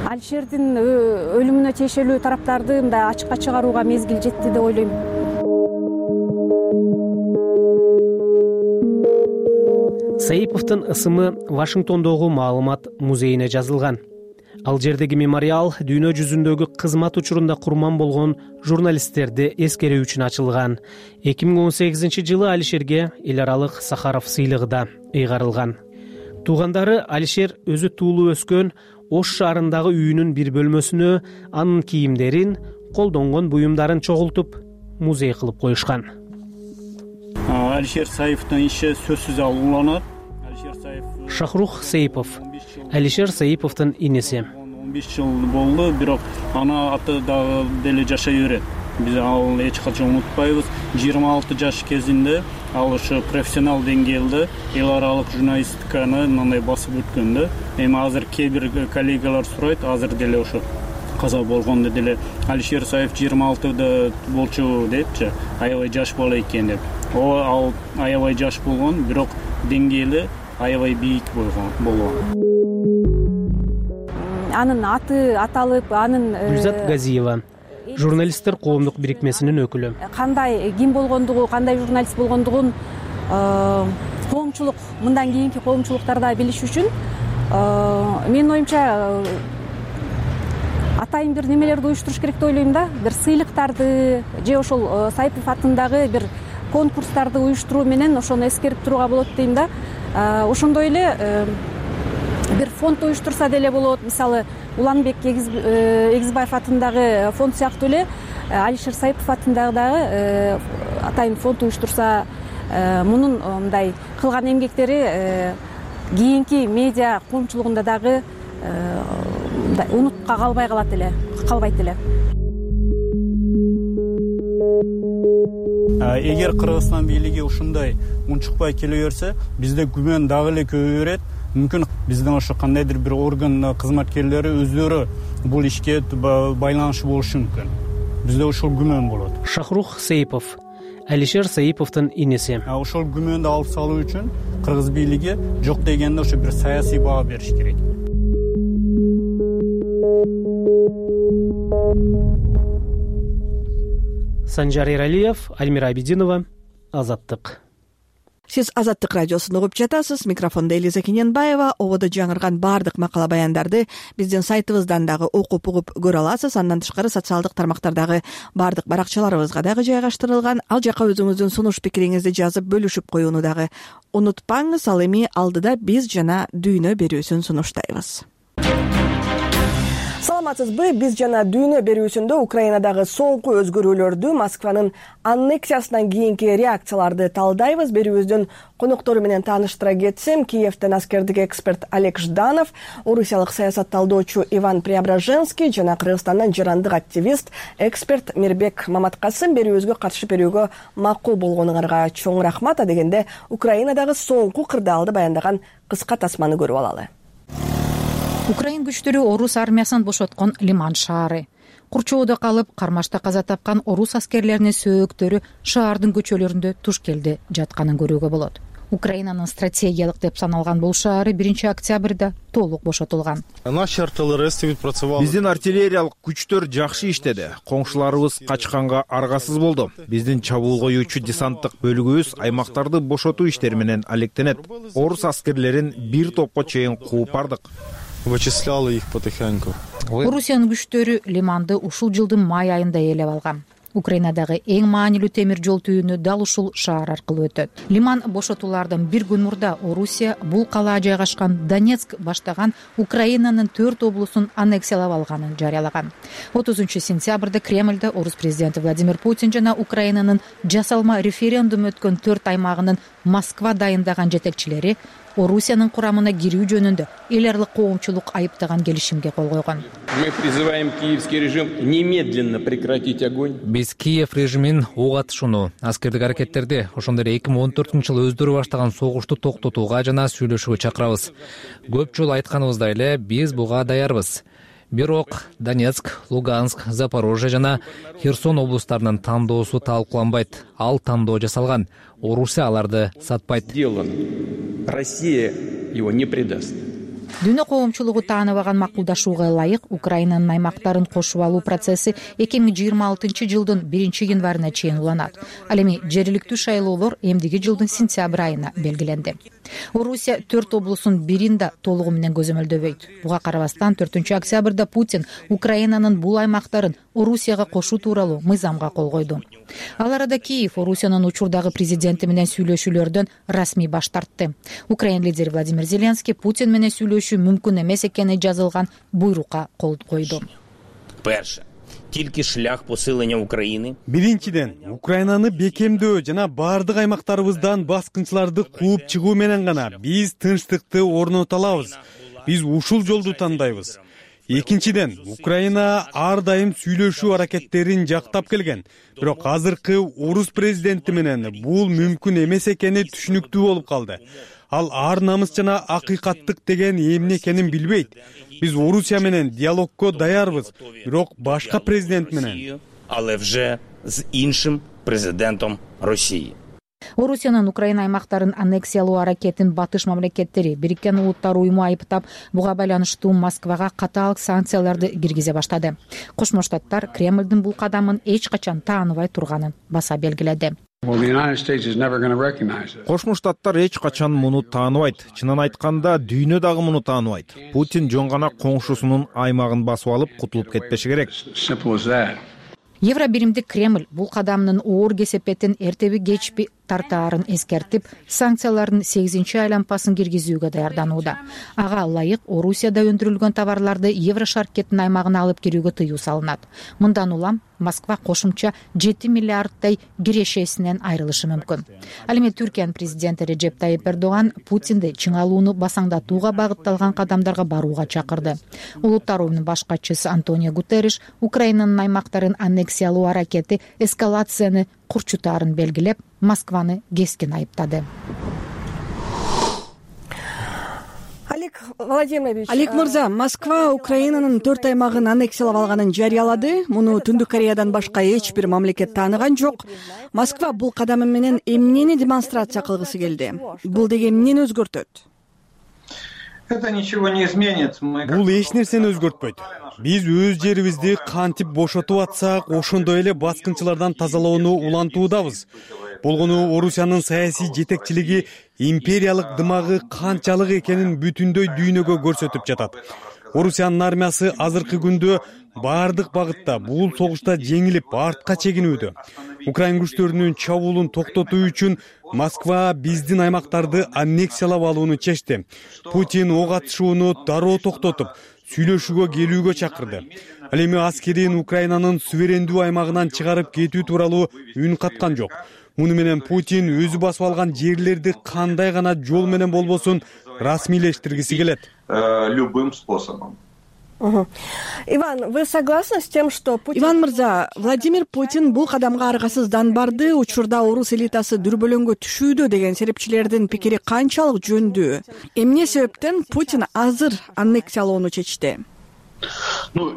Алишердин өлүмүнө тиешелүү тараптарды мындай ачыкка чыгарууга мезгил жетти деп ойлойм. Саиповдун ысымы Вашингтондогу маалымат музейине жазылган. Ал жердеги мемориал дүйнө жүзүндөгү кызмат учурунда курман болгон журналисттерди эскерүү үчүн ачылган. 2018-жылы Алишерге эл аралык Сахаров сыйлыгы да ыйгарылган. Туугандары Алишер өзү туулуп өскөн Ош шаарындагы үйүнүн бир бөлмөсүнө анын кийимдерин, колдонгон буюмдарын чогултуп, музей кылып коюшкан. Алишер Саиповдун иши сөзсүз уланат. Шахрух Саипов, Алишер Саиповдун иниси. 15 жыл болду, бирок аны аты дагы деле жашай берет. Биз ал эч качан унутпайбыз. 26 жаш кезинде ал ошо профессионал деңгээлде эл аралык журналистиканы мындай басып өткөн да. Эми азыр кээ бир коллегалар сурайт, азыр деле ошо каза болгондо деле Алишер Саипов 26-да болчу депчи, аябай жаш бала экен деп. Ал аябай жаш болгон, бирок деңгээли аябай бийик болгон. Анын аты аталып, анын Гүлзат Газиева, журналисттер коомдук бирикмесинин өкүлү. Кандай ким болгондугу, кандай журналист болгондугун коомчулук, мындан кийинки коомчулуктарда билиш үчүн менин оюмча атайын бир немелерди уюштуруш керек деп ойлойм да. Бир сыйлыктарды же ошол Саипов атындагы бир конкурстарды уюштуруу менен ошону эскерип турууга болот дейм да. Ошондой эле бир фонд уюштурса деле болот. Мисалы Уланбек Эгизбаев атындагы фонд сыяктуу эле Алишер Саипов атындагы дагы атайын фонд уюштурса, мунун мындай кылган эмгектери кийинки медиа коомчулугунда дагы унутка калбайт эле. Эгер Кыргызстан бийлиги ушундай унчукпай келе берсе, бизде күмөн дагы эле көбөйө берет. Мүмкүн биздин ошо кандайдыр бир орган кызматкерлери өздөрү бул ишке байланышы болушу мүмкүн. Бизде ошол күмөн болот. Шахрух Саипов, Алишер Саиповдун иниси. Ошол күмөндү алып салуу үчүн кыргыз бийлиги жок дегенде ошо бир саясий баа бериш керек. Санжар Эралиев, Альмира Абидинова, Азаттык. Сиз Азаттык радиосун угуп жатасыз. Микрофондо Элиза Кененбаева. Ободо жаңырган баардык макала баяндарды биздин сайтыбыздан дагы окуп угуп көрө аласыз. Андан тышкары социалдык тармактардагы баардык баракчаларыбызга дагы жайгаштырылган. Ал жака өзүңүздүн сунуш пикириңизди жазып бөлүшүп коюуну дагы унутпаңыз. Ал эми алдыда биз жана дүйнө берүүсүн сунуштайбыз. Саламатсызбы? Биз жана дүйнө берүүсүндө Украинадагы соңку өзгөрүүлөрдү, Москванын аннексиясынан кийинки реакцияларды талдайбыз. Берүүбүздүн коноктору менен тааныштыра кетсем, Киевден аскердик эксперт Олег Жданов, орусиялык саясатталдоочу Иван Преображенский жана Кыргызстандан жарандык активист, эксперт Мирбек Маматкасым берүүбүзгө катышып берүүгө макул болгонуңарга чоң рахмат. Дегенде Украинадагы соңку кырдаалды баяндаган кыска тасманы көрүп алалы. Украин күчтөрү орус армиясын бошоткон Лиман шаары. Курчоодо калып, кармашта каза тапкан орус аскерлеринин сөөктөрү шаардын көчөлөрүндө туш келди жатканын көрүүгө болот. Украинанын стратегиялык деп саналган бул шаары 1-октябрда толук бошотулган. Биздин артиллериялык күчтөр жакшы иштеди. Коңшуларыбыз качканга аргасыз болду. Биздин чабуул коюучу десанттык бөлүгүбүз аймактарды бошотуу иштери менен алектенет. Орус аскерлерин бир топко чейин кууп бардык. Вычисляла их потихоньку. Орусиянын күчтөрү Лиманды ушул жылдын май айында ээлеп алган. Украинадагы эң маанилүү темир жол түйүнү дал ушул шаар аркылуу өтөт. Лиман бошотуулардан бир күн мурда Орусия бул калаа жайгашкан Донецк баштаган Украинанын 4 облусун аннексиялап алганын жарыялаган. 30-сентябрда Кремльде орус президенти Владимир Путин жана Украинанын жасалма референдум өткөн 4 аймагынын Москва дайындаган жетекчилери Орусиянын курамына кирүү жөнүндө эл аралык коомчулук айыптаган келишимге кол койгон. Мы призываем киевский режим немедленно прекратить огонь. Биз Киев режимин ок атышууну, аскердик аракеттерди, ошондой эле 2014-жылы өздөрү баштаган согушту токтотууга жана сүйлөшүүгө чакырабыз. Көп жолу айтканыбыздай эле биз буга даярбыз. Бирок Донецк, Луганск, Запорожье жана Херсон облустарынын тандоосу талкууланбайт. Ал тандоо жасалган. Орусия аларды сатпайт. Россия его не предаст. Дүйнө коомчулугу тааныбаган макулдашууга ылайык Украинанын аймактарын кошуп алуу процесси 2026-жылдын 1-январына чейин уланат. Ал эми жергиликтүү шайлоолор эмдиги жылдын сентябрь айына белгиленди. Орусия 4 облусун бирин да толугу менен көзөмөлдөбөйт. Буга карабастан 4-октябрда Путин Украинанын бул аймактарын Орусияга кошуу тууралуу мыйзамга кол койду. Ал арада Киев Орусиянын учурдагы президенти менен сүйлөшүүлөрдөн расмий баш тартты. Украин лидери Владимир Зеленский Путин менен сүйлөшүү мүмкүн эмес экени жазылган буйрукка кол койду. Перше, тилки шлях посилення України. Биринчиден, Украинаны бекемдөө жана бардык аймактарыбыздан баскынчыларды кууп чыгуу менен гана биз тынчтыкты орното алабыз. Биз ушул жолду тандайбыз. Экинчиден, Украина ар дайым сүйлөшүү аракеттерин жактап келген. Бирок азыркы орус президенти менен бул мүмкүн эмес экени түшүнүктүү болуп калды. Ал ар намыс жана акыйкаттык деген эмне экенин билбейт. Биз Орусия менен диалогко даярбыз, бирок башка президент менен. Але вже з іншим президентом Росії. Орусиянын Украина аймактарын аннексиялоо аракетин батыш мамлекеттери Бириккен Улуттар уюму айыптап, буга байланыштуу Москвага катаал санкцияларды киргизе баштады. Кошмо Штаттар Кремлдин бул кадамын эч качан тааныбай турганын баса белгиледи. Кошмо Штаттар эч качан муну тааныбайт. Чынын айтканда, дүйнө дагы муну тааныбайт. Путин жөн гана коңшусунун аймагын басып алып, кутулуп кетпеши керек. Евробиримдик Кремль бул кадамдын оор кесепетин эртеби кечпи тартаарын эскертип, санкциялардын 8-айлампасын киргизүүгө даярданууда. Ага ылайык Орусияда өндүрүлгөн товарларды Еврошаркеттин аймагына алып кирүүгө тыюу салынат. Мындан улам Москва кошумча 7 миллиарддай кирешесинен айрылышы мүмкүн. Ал эми Түркиянын президенти Режеп Тайип Эрдоган Путинди чыңалууну басаңдатууга багытталган кадамдарга барууга чакырды. Улуттар уюмунун баш катчысы Антонио Гутерриш Украинанын аймактарын аннексиялоо аракети эскалацияны курчутаарын белгилеп, Москваны кескин айыптады. Олег мырза, Москва Украинанын 4 аймагын аннексиялап алганын жарыялады. Муну Түндүк Кореядан башка эч бир мамлекет тааныган жок. Москва бул кадамы менен эмнени демонстрация кылгысы келди? Бул деген эмнени өзгөртөт? Бул эч нерсени өзгөртпөйт. Биз өз жерибизди кантип бошотуп атсак, ошондой эле баскынчылардан тазалоону улантуудабыз. Болгону Орусиянын саясий жетекчилиги империялык дымагы канчалык экенин бүтүндөй дүйнөгө көрсөтүп жатат. Орусиянын армиясы азыркы күндө бардык багытта бул согушта жеңилип артка чегинүүдө. Украин күчтөрүнүн чабуулун токтотуу үчүн Москва биздин аймактарды аннексиялап алууну чечти. Путин ок атышууну дароо токтотуп, сүйлөшүүгө келүүгө чакырды. Ал эми аскерин Украинанын суверендүү аймагынан чыгарып кетүү тууралуу үн каткан жок. Муну менен Путин өзү басып алган жерлерди кандай гана жол менен болбосун расмийлештиргиси келет. Любым способом. Иван, вы согласны с тем, что Путин... Иван мырза, Владимир Путин бул кадамга аргасыздан барды, учурда орус элитасы дүрбөлөңгө түшүүдө деген серепчилердин пикири канчалык жөндүү? Эмне себептен Путин азыр аннексиялоону чечти?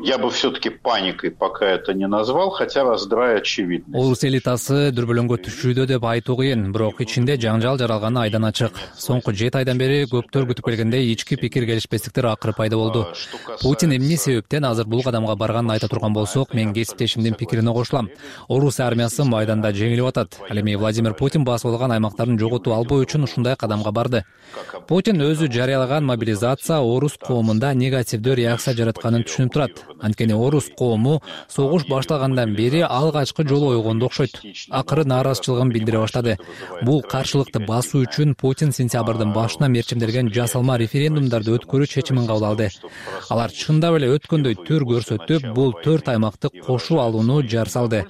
Я бы все-таки паникой пока это не назвал, хотя раздрай очевидный. Орус элитасы дүрбөлөңгө түшүүдө деп айтуу кыйын, бирок ичинде жаңжал жаралганы айдан ачык. Соңку 7 айдан бери көптөр күтүп келгендей ички пикир келишпестиктер акыры пайда болду. Путин эмне себептен азыр бул кадамга барганын айта турган болсок, мен кесиптешимдин пикирине кошулам. Орус армиясы майданда жеңилип атат. Ал эми Владимир Путин басып алган аймактарын жоготуп албоо үчүн ушундай кадамга барды. Путин өзү жарыялаган мобилизация орус коомунда негативдүү реакция жаратканын түшүнүп турат. Анткени орус коому согуш башталгандан бери алгачкы жолу ойгонду окшойт. Акыры нааразычылыгын билдире баштады. Бул каршылыкты басуу үчүн Путин сентябрдын башына мерчимделген жасалма референдумдарды өткөрүү чечимин кабыл алды. Алар чындап эле өткөндөй түр көрсөтүп, бул 4 аймакты кошуп алууну жар салды.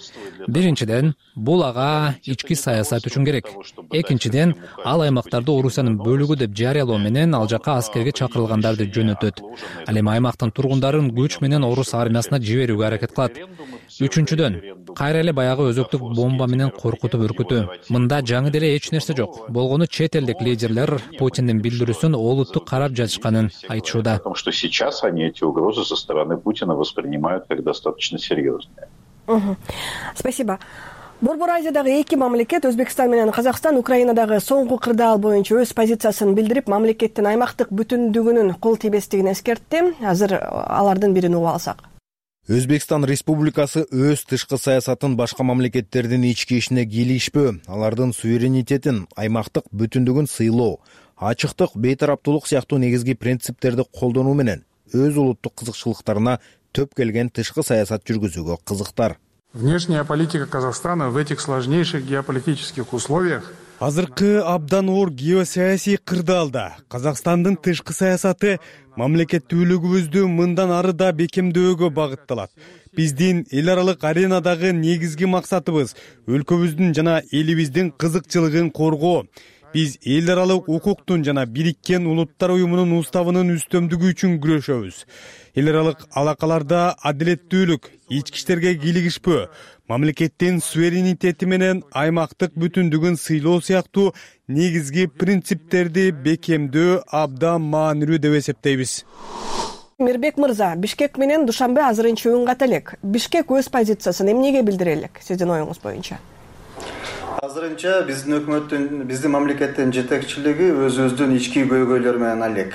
Биринчиден, бул ага ички саясат үчүн керек. Экинчиден, ал аймактарды Орусиянын бөлүгү деп жарыялоо менен ал жака аскерге чакырылгандарды жөнөтөт. Ал эми аймактын тургундарын күч менен орус армиясына жиберүүгө аракет кылат. Үчүнчүдөн, кайра эле баягы өзөктүк бомба менен коркутуп үркүтүү. Мында жаңы деле эч нерсе жок. Болгону чет элдик лидерлер Путиндин билдирүүсүн олуттук карап жатышканын айтышууда. Потому что сейчас они эти угрозы со стороны Путина воспринимают как достаточно серьезные. Спасибо. Борбор Азиядагы эки мамлекет, Өзбекстан менен Казакстан, Украинадагы соңку кырдаал боюнча өз позициясын билдирип, мамлекеттин аймактык бүтүндүгүнүн кол тийбестигин эскертти. Азыр алардын бирин угуп алсак. Өзбекстан Республикасы өз тышкы саясатын башка мамлекеттердин ички ишине кийлигишпөө, алардын суверенитетин, аймактык бүтүндүгүн сыйлоо, ачыктык, бейтараптуулук сыяктуу негизги принциптерди колдонуу менен өз улуттук кызыкчылыктарына төп келген тышкы саясат жүргүзүүгө кызыктар. Внешняя политика Казахстана в этих сложнейших геополитических условиях азыркы абдан оор геосаясий кырдаалда Казакстандын тышкы саясаты мамлекеттүүлүгүбүздү мындан ары да бекемдөөгө багытталат. Биздин эл аралык аренадагы негизги максатыбыз өлкөбүздүн жана элибиздин кызыкчылыгын коргоо. Биз эл аралык укуктун жана Бириккен Улуттар уюмунун уставынын үстөмдүгү үчүн күрөшөбүз. Эл аралык алакаларда адилеттүүлүк, ички иштерге кийлигишпөө, мамлекеттин суверенитети менен аймактык бүтүндүгүн сыйлоо сыяктуу негизги принциптерди бекемдөө абдан маанилүү деп эсептейбиз. Мирбек мырза, Бишкек менен Душанбе азырынча үн ката элек. Бишкек өз позициясын эмнеге билдире элек, сиздин оюңуз боюнча? Азырынча биздин өкмөттүн, биздин мамлекеттин жетекчилиги өзүбүздүн ички көйгөйлөр менен алек.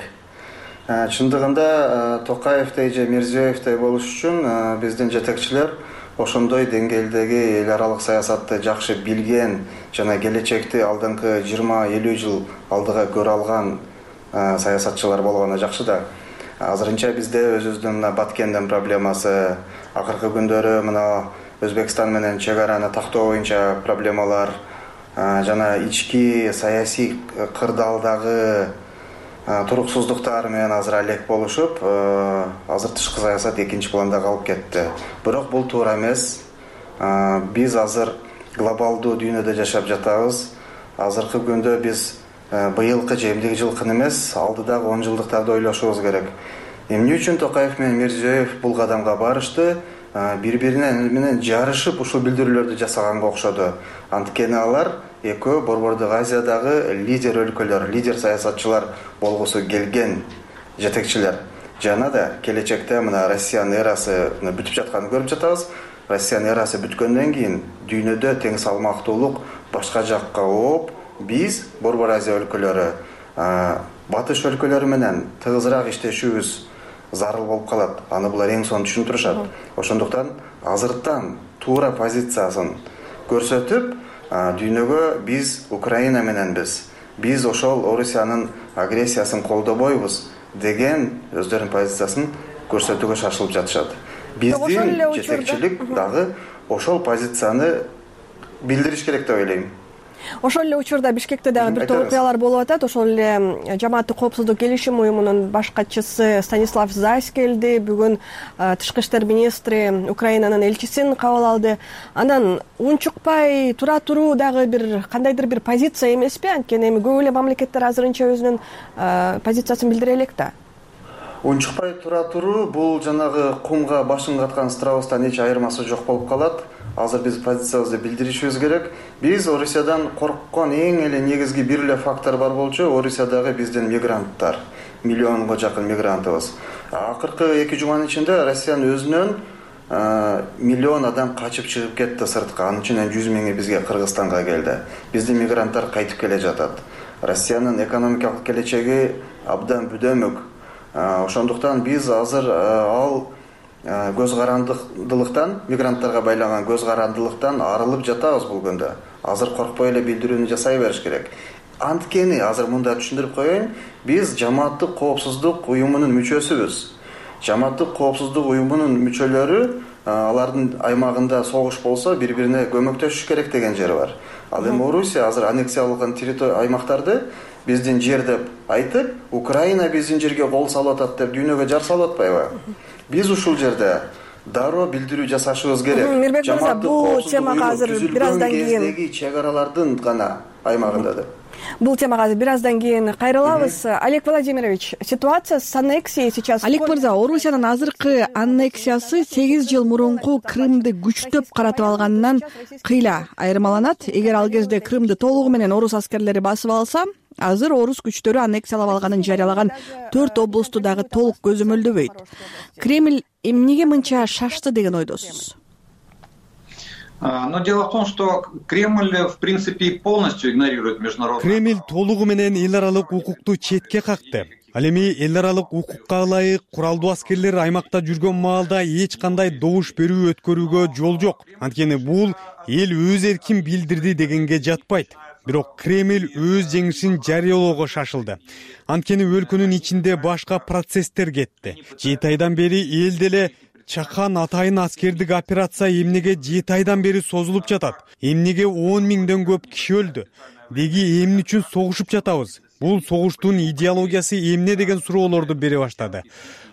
Чындыгында Токаевдей же Мирзиёевдей болуш үчүн биздин жетекчилер ошондой деңгээлдеги эл аралык саясатты жакшы билген жана келечекти алдыңкы 20-50 жыл алдыга көрө алган саясатчылар болгону жакшы да. Азырынча бизде өзүбүздүн Баткендин проблемасы, акыркы күндөрү мына Өзбекстан менен чек араны тактоо боюнча проблемалар жана ички саясий кырдаалдагы туруксуздуктар менен азыр алек болушуп, азыр тышкы саясат экинчи планда калып кетти. Бирок бул туура эмес. Биз азыр глобалдуу дүйнөдө жашап жатабыз. Азыркы күндө биз быйылкы же эмдиги жылкын эмес, алдыдагы 10 жылдыктарды ойлошубуз керек. Эмне үчүн Токаев менен Мирзиёев бул кадамга барышты? Бири-бирине менен жарышып ушул билдирүүлөрдү жасаганга окшоду. Анткени алар экөө Борбордук Азиядагы лидер өлкөлөр, лидер саясатчылар болгусу келген жетекчилер. Жана да келечекте мына Россиянын эрасы бүтүп жатканын көрүп жатабыз. Россиянын эрасы бүткөндөн кийин дүйнөдө тең салмактуулук башка жакка ооп, биз Борбор Азия өлкөлөрү, батыш өлкөлөрү менен тыгызыраак иштешүүбүз зарыл болуп калат. Аны булар эң сонун түшүнүп турушат. Ошондуктан азыртан туура позициясын көрсөтүп, дүйнөгө биз Украина мененбиз. Биз ошол Орусиянын агрессиясын колдобойбуз деген өздөрүнүн позициясын көрсөтүүгө шашылып жатышат. Биздин жетекчилик дагы ошол позицияны билдириш керек деп ойлойм. Ошол эле учурда Бишкекте дагы бир топ окуялар болуп атат. Ошол эле Жамааттык коопсуздук келишим уюмунун башкачысы Станислав Зайс келди. Бүгүн тышкы иштер министри Украинанын элчисин кабыл алды. Анан унчукпай тура туруу дагы бир кандайдыр бир позиция эмеспи? Анткени эми көп эле мамлекеттер азырынча өзүнүн позициясын билдире элек да. Унчукпай тура туруу бул жанагы кумга башын каткан страустан эч айырмасы жок болуп калат. Азыр биз позициябызды билдиришибиз керек. Биз Орусиядан корккон эң эле негизги бир эле фактор бар болчу. Орусиядагы биздин мигранттар. Миллионго жакын мигрантыбыз. Акыркы 2 жуманын ичинде Россиянын өзүнөн миллион адам качып чыгып кетти сыртка. Анын ичинен 100 миңи бизге Кыргызстанга келди. Биздин мигранттар кайтып келе жатат. Россиянын экономикалык келечеги абдан бүдөмүк. Ошондуктан биз азыр ал көз карандылыктан, мигранттарга байлаган көз карандылыктан арылып жатабыз бул күндө. Азыр коркпой эле билдирүүнү жасай бериш керек. Анткени азыр мында түшүндүрүп коеюн, биз Жамааттык коопсуздук уюмунун мүчөсүбүз. Жамааттык коопсуздук уюмунун мүчөлөрү алардын аймагында согуш болсо бири-бирине көмөктөшүш керек деген жери бар. Ал эми Орусия азыр аннексияланган аймактарды биздин жер деп айтып, Украина биздин жерге кол салып атат деп дүйнөгө жар салып атпайбы? Биз ушул жерде дароо билдирүү жасашыбыз керек. Мирбек мырза, бул темага азыр бир аздан кийин чек аралардын гана аймагында деп. Бул темага азыр бир аздан кийин кайрылабыз. Олег Владимирович, ситуация с аннексией сейчас... Олег мырза, Орусиянын азыркы аннексиясы 8 жыл мурунку Крымды күчтөп каратып алганынан кыйла айырмаланат. Эгер ал кезде Крымды толугу менен орус аскерлери басып алса, азыр орус күчтөрү аннексиялап алганын жарыялаган 4 облусту дагы толук көзөмөлдөбөйт. Кремль эмнеге мынча шашты деген ойдосуз? Но дело в том, что Кремль, в принципе, полностью игнорирует международное... Кремль толугу менен эл аралык укукту четке какты. Ал эми эл аралык укукка ылайык куралдуу аскерлер аймакта жүргөн маалда эч кандай добуш берүү өткөрүүгө жол жок. Анткени бул эл өз эркин билдирди дегенге жатпайт. Бирок Кремль өз жеңишин жарыялоого шашылды. Анткени өлкөнүн ичинде башка процесстер кетти. 7 айдан бери эл деле чакан атайын аскердик операция эмнеге 7 айдан бери созулуп жатат? Эмнеге 10 миңден көп киши өлдү? Деги эмне үчүн согушуп жатабыз? Бул согуштун идеологиясы эмне деген суроолорду бере баштады.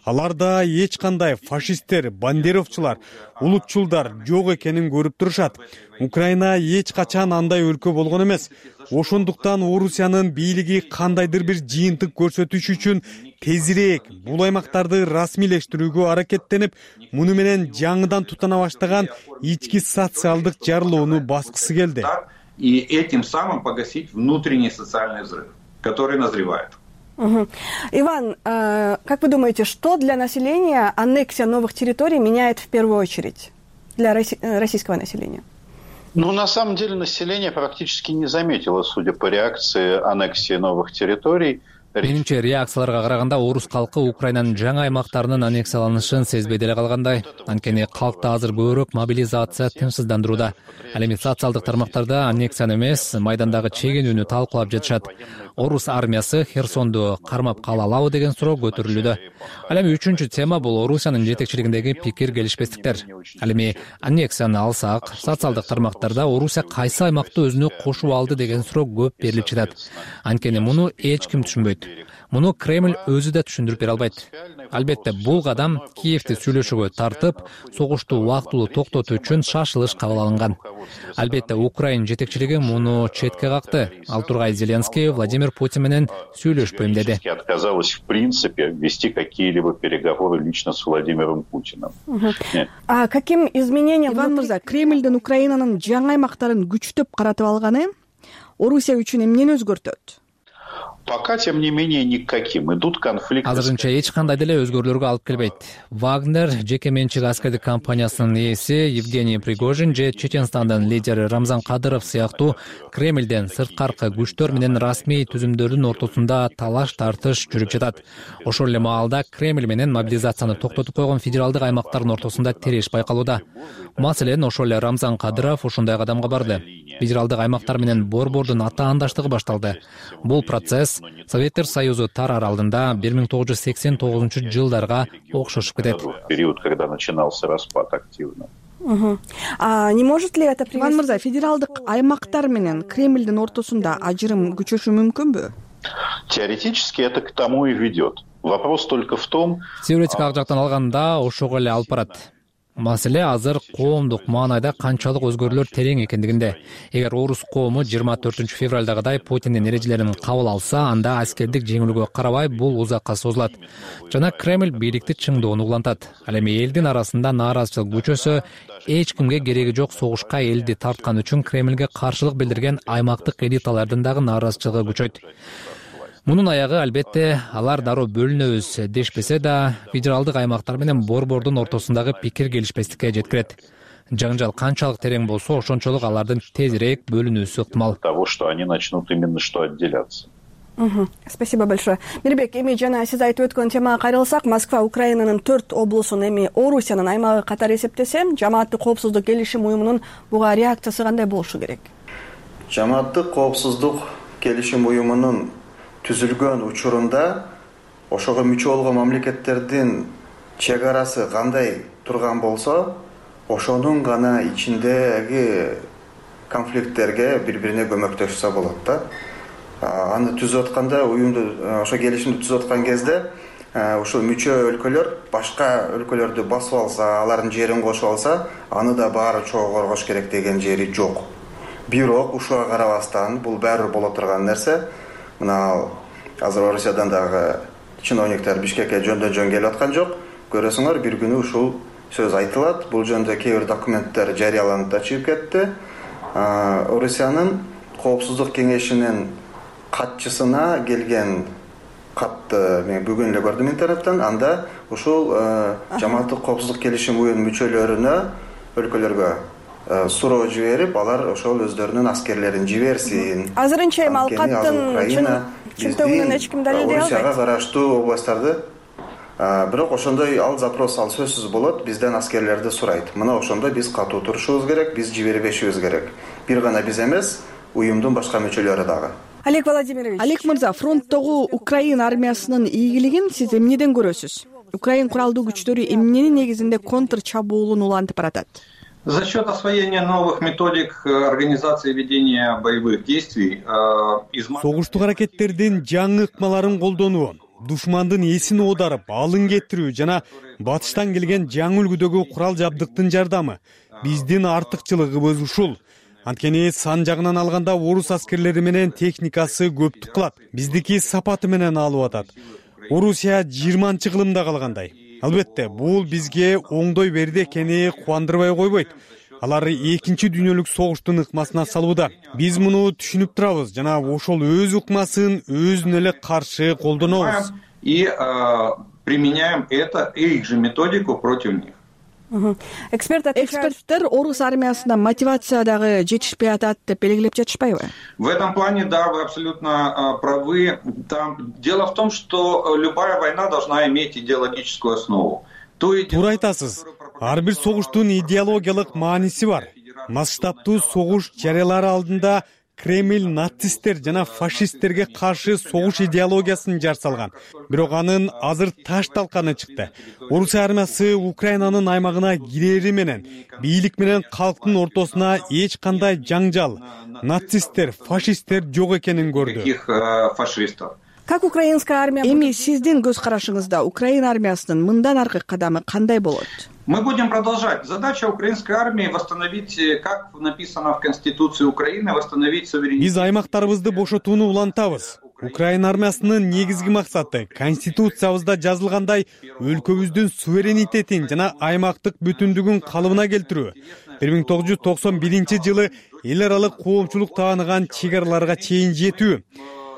Аларда эч кандай фашисттер, бандеровчулар, улутчулдар жок экенин көрүп турушат. Украина эч качан андай өлкө болгон эмес. Ошондуктан Орусиянын бийлиги кандайдыр бир жыйынтык көрсөтүш үчүн тезирээк бул аймактарды расмийлештирүүгө аракеттенип, муну менен жаңыдан тутана баштаган ички социалдык жарылууну баскысы келди. И этим самым погасить внутренний социальный взрыв, который назревает. Иван, как вы думаете, что для населения аннексия новых территорий меняет в первую очередь для российского населения? Ну, на самом деле, население практически не заметило, судя по реакции, аннексии новых территорий. Менимче, реакцияларга караганда орус калкы Украинанын жаңы аймактарынын аннексияланышын сезбей деле калгандай. Анткени калкты азыр көбүрөөк мобилизация тынчсыздандырууда. Ал эми социалдык тармактарда аннексияны эмес, майдандагы чегинүүнү талкуулап жатышат. Орус армиясы Херсонду кармап кала алабы деген суроо көтөрүлүүдө. Ал эми үчүнчү тема бул Орусиянын жетекчилигиндеги пикир келишпестиктер. Ал эми аннексияны алсак, социалдык тармактарда Орусия кайсы аймакты өзүнө кошуп алды деген суроо көп берилип жатат. Анткени муну эч ким түшүнбөйт. Муну Кремль өзү да түшүндүрүп бере албайт. Албетте, бул кадам Киевти сүйлөшүүгө тартып, согушту убактылуу токтотуу үчүн шашылыш кабыл алынган. Албетте, Украина жетекчилиги муну четке какты. Ал тургай Зеленский Владимир Путин менен сүйлөшпөйм деди. Отказалась в принципе вести какие-либо переговоры лично с Владимиром Путиным. А каким изменениям, Иван мырза, Кремльдин Украинанын жаңы аймактарын күчтөп каратып алганы Орусия үчүн эмнени өзгөртөт? Пока, тем не менее, никаким. Идут конфликты. Азырынча эч кандай деле өзгөрүүлөргө алып келбейт. Вагнер жеке менчик аскердик компаниясынын ээси Евгений Пригожин же Чеченстандын лидери Рамзан Кадыров сыяктуу Кремльден сырткаркы күчтөр менен расмий түзүмдөрдүн ортосунда талаш-тартыш жүрүп жатат. Ошол эле маалда Кремль менен мобилизацияны токтотуп койгон федералдык аймактардын ортосунда тереш байкалууда. Маселен, ошол эле Рамзан Кадыров ошондой кадамга барды. Федералдык аймактар менен борбордун атаандаштыгы башталды. Бул процесс Советтер Союзу тарар алдында 1989 жылдарга окшошуп кетет. Период, когда начинался распад активно. Не может ли это привести? Иван мырза, федералдык аймактар менен Кремлдин ортосунда ажырым күчөшү мүмкүнбү? Теоретически это к тому и ведет. Вопрос только в том... Теоретикалык жактан алганда ошого эле алып барат. Маселе азыр коомдук маанайда канчалык өзгөрүүлөр терең экендигинде. Эгер орус коому 24 февралдагыдай Путиндин эрежелерин кабыл алса, анда аскердик жеңилүүгө карабай бул узакка созулат. Жана Кремль бийликти чыңдоону улантат. Ал эми элдин арасында нааразычылык күчөсө, эч кимге кереги жок согушка элди тарткан үчүн Кремльге каршылык билдирген аймактык элиталардын дагы нааразычылыгы күчөйт. Мунун аягы албетте алар дароо бөлүнөбүз дешпесе да, федералдык аймактар менен борбордун ортосундагы пикир келишпестикке жеткирет. Жаңжал канчалык терең болсо, ошончолук алардын тезирээк бөлүнүүсү ыктымал. Того, что они начнут именно что отделяться. Спасибо большое. Мирбек, эми жана сиз айтып өткөн темага кайрылсак, Москва Украинанын 4 облусун эми Орусиянын аймагы катары эсептесе, Жамааттык коопсуздук келишим уюмунун буга реакциясы кандай болушу керек? Жамааттык коопсуздук келишим уюмунун түзүлгөн учурунда ошого мүчө болгон мамлекеттердин чек арасы кандай турган болсо, ошонун гана ичиндеги конфликттерге бири-бирине көмөктөшсө болот да. Аны түзүп атканда, уюмду, ошо келишимди түзүп аткан кезде, ушул мүчө өлкөлөр башка өлкөлөрдү басып алса, алардын жерин кошуп алса, аны да баары чогуу коргош керек деген жери жок. Бирок ушуга карабастан бул баары боло турган нерсе. Мына азыр Орусиядан дагы чиновниктер Бишкекке жөндөн-жөн келип аткан жок. Көрөсүңөр, бир күнү ушул сөз айтылат. Бул жөнүндө кээ бир документтер жарыяланып да чыгып кетти. Орусиянын коопсуздук кеңешинин катчысына келген катты мен бүгүн эле көрдүм интернеттен. Анда ушул жамааттык коопсуздук келишим уюмунун мүчөлөрүнө, өлкөлөргө суроо жиберип, алар ошол өздөрүнүн аскерлерин жиберсин. Азырынча эми ал каттын чынтыгынан эч ким далилдей албайт. Орусияга караштуу областтарды, бирок ошондой ал запрос, ал сөзсүз болот, бизден аскерлерди сурайт. Мына ошондо биз катуу турушубуз керек, биз жибербешибиз керек. Бир гана биз эмес, уюмдун башка мүчөлөрү дагы. Олег Владимирович, Олег мырза, фронттогу Украина армиясынын ийгилигин сиз эмнеден көрөсүз? Украин куралдуу күчтөрү эмненин негизинде контр чабуулун улантып баратат? За счет освоения новых методик организации ведения боевых действий согуштук аракеттердин жаңы ыкмаларын колдонуу, душмандын эсин оодарып, алын кетирүү жана батыштан келген жаңы үлгүдөгү курал жабдыктын жардамы биздин артыкчылыгыбыз ушул. Анткени сан жагынан алганда орус аскерлери менен техникасы көптүк кылат. Биздики сапаты менен алып атат. Орусия 20-кылымда калгандай. Албетте, бул бизге оңдой берди экени кубандырбай койбойт. Алар 2-чи дүйнөлүк согуштун ыкмасына салууда. Биз муну түшүнүп турабыз жана ошол өз ыкмасын өзүнө эле каршы колдонобуз. И применяем их же методику против них. Эксперттер орус армиясына мотивация дагы жетишпей атат деп белгилеп жатышпайбы? В этом плане, да, вы абсолютно правы. Дело в том, что любая война должна иметь идеологическую основу. Туура айтасыз. Ар бир согуштун идеологиялык мааниси бар. Масштабтуу согуш жарыялары алдында Кремль нацисттер жана фашисттерге каршы согуш идеологиясын жар салган. Бирок анын азыр таш талканы чыкты. Орус армиясы Украинанын аймагына кирери менен бийлик менен калктын ортосуна эч кандай жаңжал, нацисттер, фашисттер жок экенин көрдү. Как украинская армия? Эми сиздин көз карашыңызда Украина армиясынын мындан аркы кадамы кандай болот? Мы будем продолжать. Задача украинской армии восстановить, как написано в Конституции Украины, восстановить суверенитет. Биз аймактарыбызды бошотууну улантабыз. Украина армиясынын негизги максаты Конституциябызда жазылгандай өлкөбүздүн суверенитетин жана аймактык бүтүндүгүн калыбына келтирүү. 1991-жылы эл аралык коомчулук тааныган чек араларга чейин жетүү.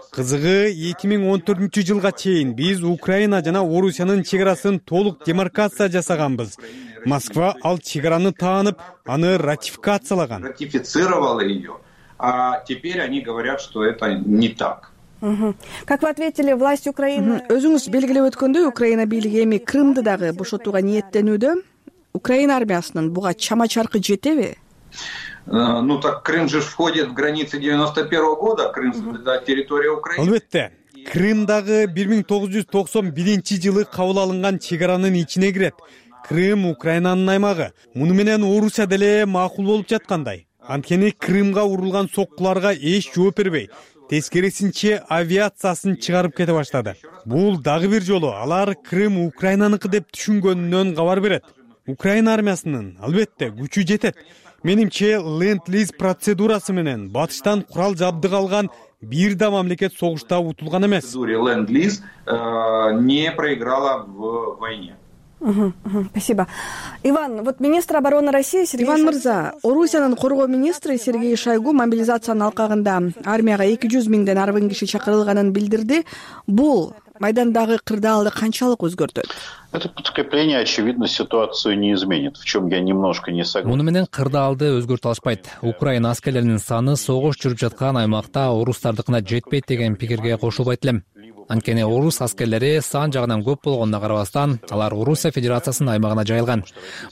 Кызыгы 2014-жылга чейин биз Украина жана Орусиянын чек арасын толук демаркация жасаганбыз. Москва ал чек араны таанып, аны ратификациялаган. Ратифицировала ее. А теперь они говорят, что это не так. Как вы ответили, власть Украины? Өзүңүз белгилеп өткөндөй, Украина бийлиги эми Крымды дагы бошотууга ниеттенүүдө. Украина армиясынын буга чама-чаркы жетеби? Ну так Крым же входит в границы 91 года, Крым — территория Украины. Албетте, Крым дагы 1991-жылы кабыл алынган чек аранын ичине кирет. Крым Украинанын аймагы. Муну менен Орусия деле макул болуп жаткандай. Анткени Крымга урулган соккуларга эч жооп бербей, тескерисинче авиациясын чыгарып кете баштады. Бул дагы бир жолу алар Крым Украинаныкы деп түшүнгөнүнөн кабар берет. Украина армиясынын албетте күчү жетет. Менимче ленд-лиз процедурасы менен батыштан курал жабдык алган бир да мамлекет согушта утулган эмес. Ленд-лиз не проиграла в войне. Спасибо. Иван, вот министр обороны России Сергей Иван мырза, Орусиянын коргоо министри Сергей Шойгу мобилизациянын алкагында армияга 200 миңден арбын киши чакырылганын билдирди. Бул майдандагы кырдаалды канчалык өзгөртөт? Это подкрепление, очевидно, ситуацию не изменит, в чем я немножко не согласен. Муну менен кырдаалды өзгөртө алышпайт. Украина аскерлеринин саны согуш жүрүп жаткан аймакта орустардыкына жетпейт деген пикирге кошулбайт элем. Анткени орус аскерлери сан жагынан көп болгонуна карабастан, алар Орусия Федерациясынын аймагына жайылган.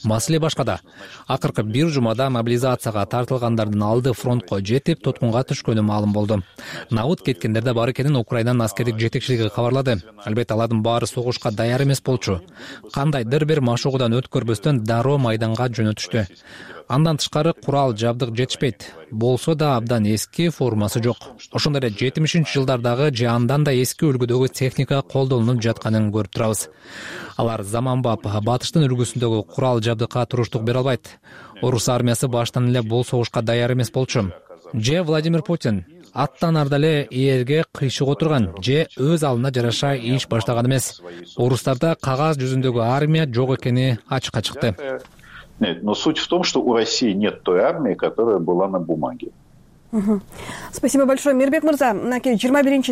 Маселе башкада. Акыркы бир жумада мобилизацияга тартылгандардын алды фронтко жетип, тоткунга түшкөнү маалым болду. Набыт кеткендерде бар экенин Украинанын аскердик жетекчилиги кабарлады. Албетте алардын баары согушка даяр эмес болчу. Кандайдыр бир машыгуудан өткөрбөстөн дароо майданга жөнөтүштү. Андан тышкары курал жабдык жетишпейт. Болсо да абдан эски формасы жок. Ошондой эле 70-жылдардагы же андан да эски үлгүдөгү техника колдонулуп жатканын көрүп турабыз. Алар заманбап батыштын үлгүсүндөгү курал жабдыкка туруштук бере албайт. Орус армиясы баштан эле бул согушка даяр эмес болчу. Же Владимир Путин аттан арда эле ээрге кыйшык отурган, же өз алдына жараша иш баштаган эмес. Орустарда кагаз жүзүндөгү армия жок экени ачыкка чыкты. Нет, но суть в том, что у России нет той армии, которая была на бумаге. Спасибо большое. Мирбек мырза, 21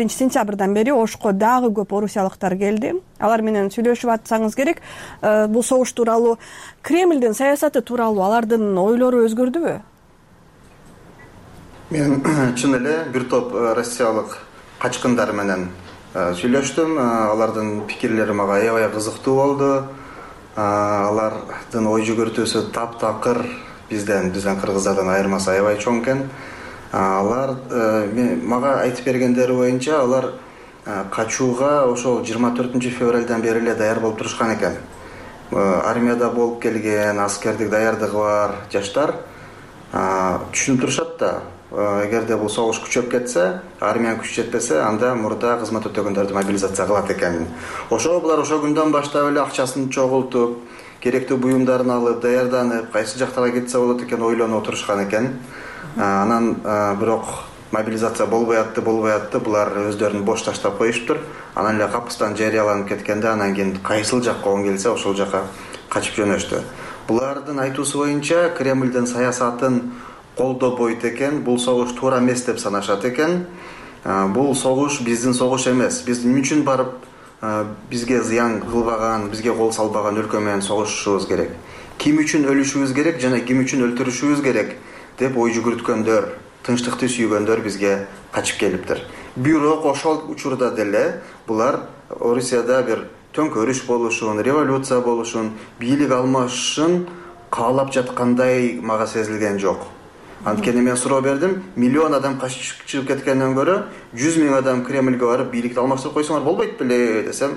сентябрдан бери Ошко дагы көп орусиялыктар келди. Алар менен сүйлөшүп атсаңыз керек. Бул согуш тууралуу, Кремлдин саясаты тууралуу алардын ойлору өзгөрдүбү? Мен чын эле бир топ россиялык качкындар менен сүйлөштүм. Алардын пикирлери мага аябай кызыктуу болду. Алардын ой жүгүртүүсү таптакыр бизден кыргыздардан айырмасы аябай чоң экен. Алар мага айтып бергендери боюнча алар качууга ошол 24 февралдан бери эле даяр болуп турушкан экен. Армияда болуп келген, аскердик даярдыгы бар жаштар түшүнүп турушат да. Эгерде бул согуш күчөп кетсе, армиянын күчү жетпесе, анда мурда кызмат өтөгөндөрдү мобилизация кылат экен. Ошо булар ошо күндөн баштап эле акчасын чогултуп, керектүү буюмдарын алып, даярданып, кайсы жактарга кетсе болот экен ойлонуп отурушкан экен. Анан бирок мобилизация болбой атты, булар өздөрүн бош таштап коюштур. Анан эле капыстан жарыяланып кеткенде, анан кийин кайсыл жакка он келсе, ошол жака качып жөнөштү. Булардын айтуусу боюнча Кремлдин саясатын колдобойт экен, бул согуш туура эмес деп санашат экен. Бул согуш биздин согуш эмес. Биз эмне үчүн барып бизге зыян кылбаган, бизге кол салбаган өлкө менен согушушубуз керек? Ким үчүн өлүшүбүз керек жана ким үчүн өлтүрүшүбүз керек деп ой жүгүрткөндөр, тынчтыкты сүйгөндөр бизге качып келиптир. Бирок ошол учурда деле булар Орусияда бир төңкөрүш болушун, революция болушун, бийлик алмашышын каалап жаткандай мага сезилген жок. Анткени мен суроо бердим, миллион адам качып чыгып кеткенден көрө 100 миң адам Кремлге барып бийликти алмаштырып койсоңор болбойт беле десем,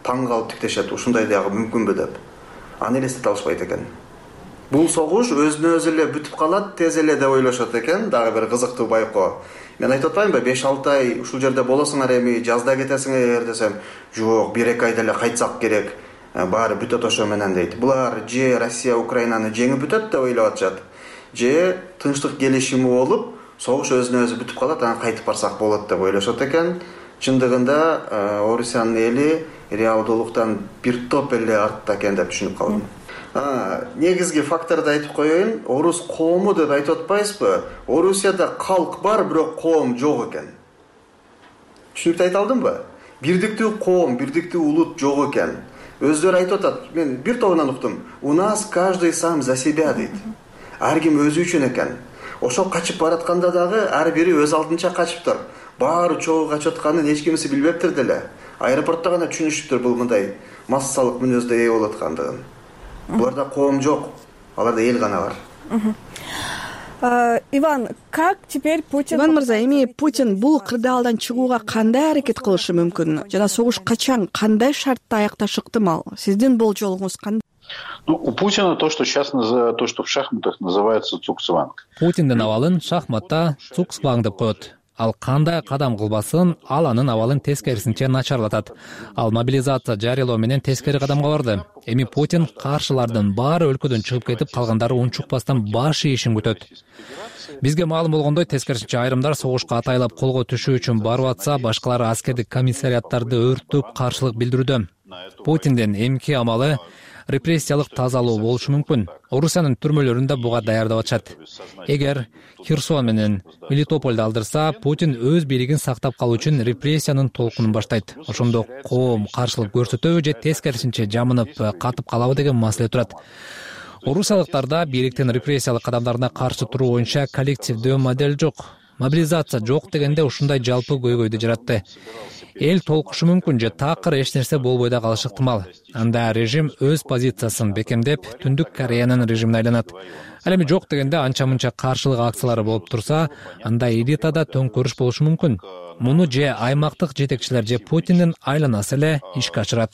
таң калып тиктешет, ушундай дагы мүмкүнбү деп. Аны элестете алышпайт экен. Бул согуш өзүнө өзү эле бүтүп калат, тез эле деп ойлошот экен, дагы бир кызыктуу байкоо. Мен айтып атпаймынбы, 5-6 ай ушул жерде болосуңар эми, жазда кетесиңер десем, жок, 1-2 айда эле кайтсак керек, баары бүтөт ошо менен дейт. Булар же Россия Украинаны жеңип бүтөт деп ойлоп атышат, же тынчтык келишими болуп, согуш өзүнө өзү бүтүп калат, анан кайтып барсак болот деп ойлошот экен. Чындыгында Орусиянын эли реалдуулуктан бир топ эле артта экен деп түшүнүп калдым. Негизги факторду айтып коеюн, орус коому деп айтып атпайсызбы? Орусияда калк бар, бирок коом жок экен. Түшүнүктүү айта алдымбы? Бирдиктүү коом, бирдиктүү улут жок экен. Өздөрү айтып атат, мен бир тобунан уктум. У нас каждый сам за себя дейт. Ар ким өзү үчүн экен. Ошо качып баратканда дагы ар бири өз алдынча качыптыр. Баары чогуу качып атканын эч кимиси билбептир деле. Аэропортто гана түшүнүшүптүр бул мындай массалык мүнөздө ээ болуп аткандыгын. Буларда коом жок, аларда эл гана бар. Иван, как теперь Путин... Иван мырза, эми Путин бул кырдаалдан чыгууга кандай аракет кылышы мүмкүн? Жана согуш качан, кандай шартта аякташы ыктымал? Сиздин болжолуңуз кандай? У Путина то, что в шахматах называется цукцванг. Путиндин абалын шахматта цукцванг деп коет. Ал кандай кадам кылбасын, ал анын абалын тескерисинче начарлатат. Ал мобилизация жарыялоо менен тескери кадамга барды. Эми Путин каршылардын баары өлкөдөн чыгып кетип, калгандары унчукпастан баш ийишин күтөт. Бизге маалым болгондой, тескерисинче айрымдар согушка атайлап колго түшүү үчүн барып атса, башкалары аскердик комиссариаттарды өрттөп каршылык билдирүүдө. Путиндин эмки амалы репрессиялык тазалоо болушу мүмкүн. Орусиянын түрмөлөрүндө буга даярдап атышат. Эгер Херсон менен Мелитополду алдырса, Путин өз бийлигин сактап калуу үчүн репрессиянын толкунун баштайт. Ошондо коом каршылык көрсөтөбү же тескерисинче жамынып катып калабы деген маселе турат. Орусиялыктарда бийликтин репрессиялык кадамдарына каршы туруу боюнча коллективдүү модель жок. Мобилизация жок дегенде ушундай жалпы көйгөйдү жаратты. Эл толкушу мүмкүн же такыр эч нерсе болбой да калышы ыктымал. Анда режим өз позициясын бекемдеп, Түндүк Кореянын режимине айланат. Ал эми жок дегенде анча-мынча каршылык акциялары болуп турса, анда элитада төңкөрүш болушу мүмкүн. Муну же аймактык жетекчилер же Путиндин айланасы эле ишке ашырат.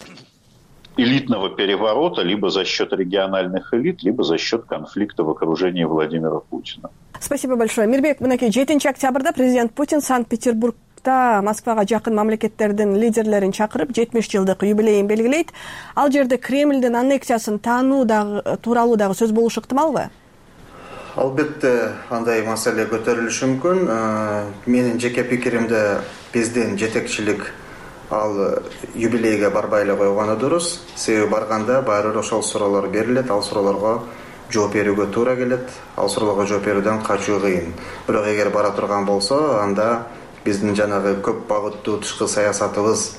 Элитного переворота либо за счет региональных элит, либо за счет конфликта в окружении Владимира Путина. Спасибо большое. Мирбек, мынакей 7 октябрда президент Путин Санкт-Петербургда Москвага жакын мамлекеттердин лидерлерин чакырып 70 жылдык юбилейин белгилейт. Ал жерде Кремлдин аннексиясын таануу тууралуу дагы сөз болушу ыктымалбы? Албетте андай маселе көтөрүлүшү мүмкүн. Менин жеке пикиримде биздин жетекчилик ал юбилейге барбай эле койгону дурус. Себеби барганда баары бир ошол суроолор берилет, ал суроолорго жооп берүүгө туура келет, ал суроолорго жооп берүүдөн качуу кыйын. Бирок эгер бара турган болсо, анда биздин жанагы көп багыттуу тышкы саясатыбыз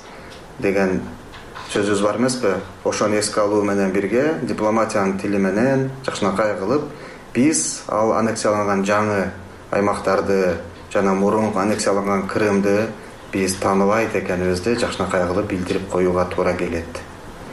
деген сөзүбүз бар эмеспи? Ошону эске алуу менен бирге дипломатиянын тили менен жакшынакай кылып, биз ал аннексияланган жаңы аймактарды жана мурунку аннексияланган Крымды биз тааныбайт экенибизди жакшынакай кылып билдирип коюуга туура келет.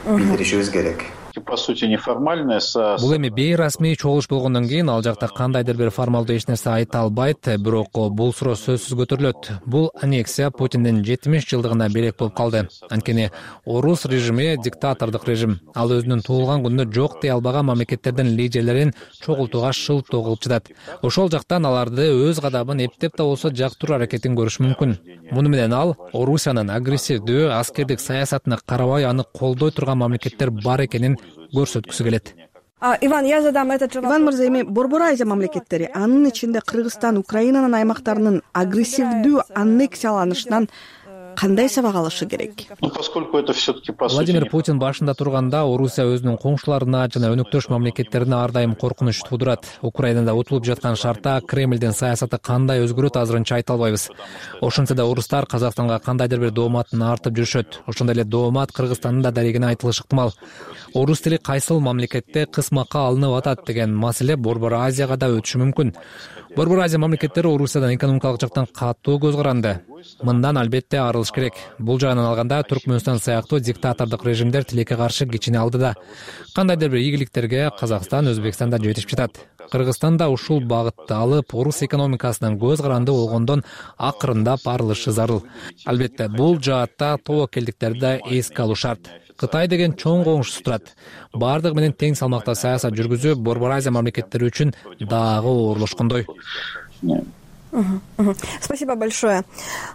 Билдиришибиз керек. По сути, неформальное Бул эми бейрасмий чогулуш болгондон кийин ал жакта кандайдыр бир формалдуу эч нерсе айта албайт, бирок бул суроо сөзсүз көтөрүлөт. Бул аннексия Путиндин 70 жылдыгына белек болуп калды. Анткени орус режими диктатордук режим. Ал өзүнүн туулган күнүндө жок дей албаган мамлекеттердин лидерлерин чогултууга шылтоо кылып жатат. Ошол жактан аларды өз кадамын эптеп да болсо жактыруу аракетин көрүш мүмкүн. Муну менен ал Орусиянын агрессивдүү аскердик саясатына карабай аны колдой турган мамлекеттер бар экенин көрсөткүсү келет. Иван, я задам этот же вопрос. Иван мырза, эми Борбор Азия мамлекеттери, анын ичинде Кыргызстан, Украинанын аймактарынын агрессивдүү аннексияланышынан кандай сабак алышы керек? Поскольку это все-таки по сути... Владимир Путин башында турганда Орусия өзүнүн коңшуларына жана өнөктөш мамлекеттерине ар дайым коркунуч туудурат. Украинада утулуп жаткан шартта Кремлдин саясаты кандай өзгөрөт азырынча айта албайбыз. Ошентсе да орустар Казакстанга кандайдыр бир дооматын артып жүрүшөт. Ошондой эле доомат Кыргызстандын да дарегине айтылышы ыктымал. Орус тили кайсыл мамлекетте кысмакка алынып атат деген маселе Борбор Азияга да өтүшү мүмкүн. Борбор Азия мамлекеттери Орусиядан экономикалык жактан катуу көз каранды. Мындан албетте арылыш керек. Бул жагынан алганда Түркмөнстан сыяктуу диктатордук режимдер тилекке каршы кичине алдыда. Кандайдыр бир ийгиликтерге Казакстан, Өзбекстан да жетишип жатат. Кыргызстан да ушул багытты алып, орус экономикасынын көз каранды болгондон акырындап арылышы зарыл. Албетте бул жаатта тобокелдиктерди да эске алуу шарт. Кытай деген чоң коңшусу турат. Бардыгы менен тең салмакта саясат жүргүзүү Борбор Азия мамлекеттери үчүн дагы оорлошкондой. Спасибо большое.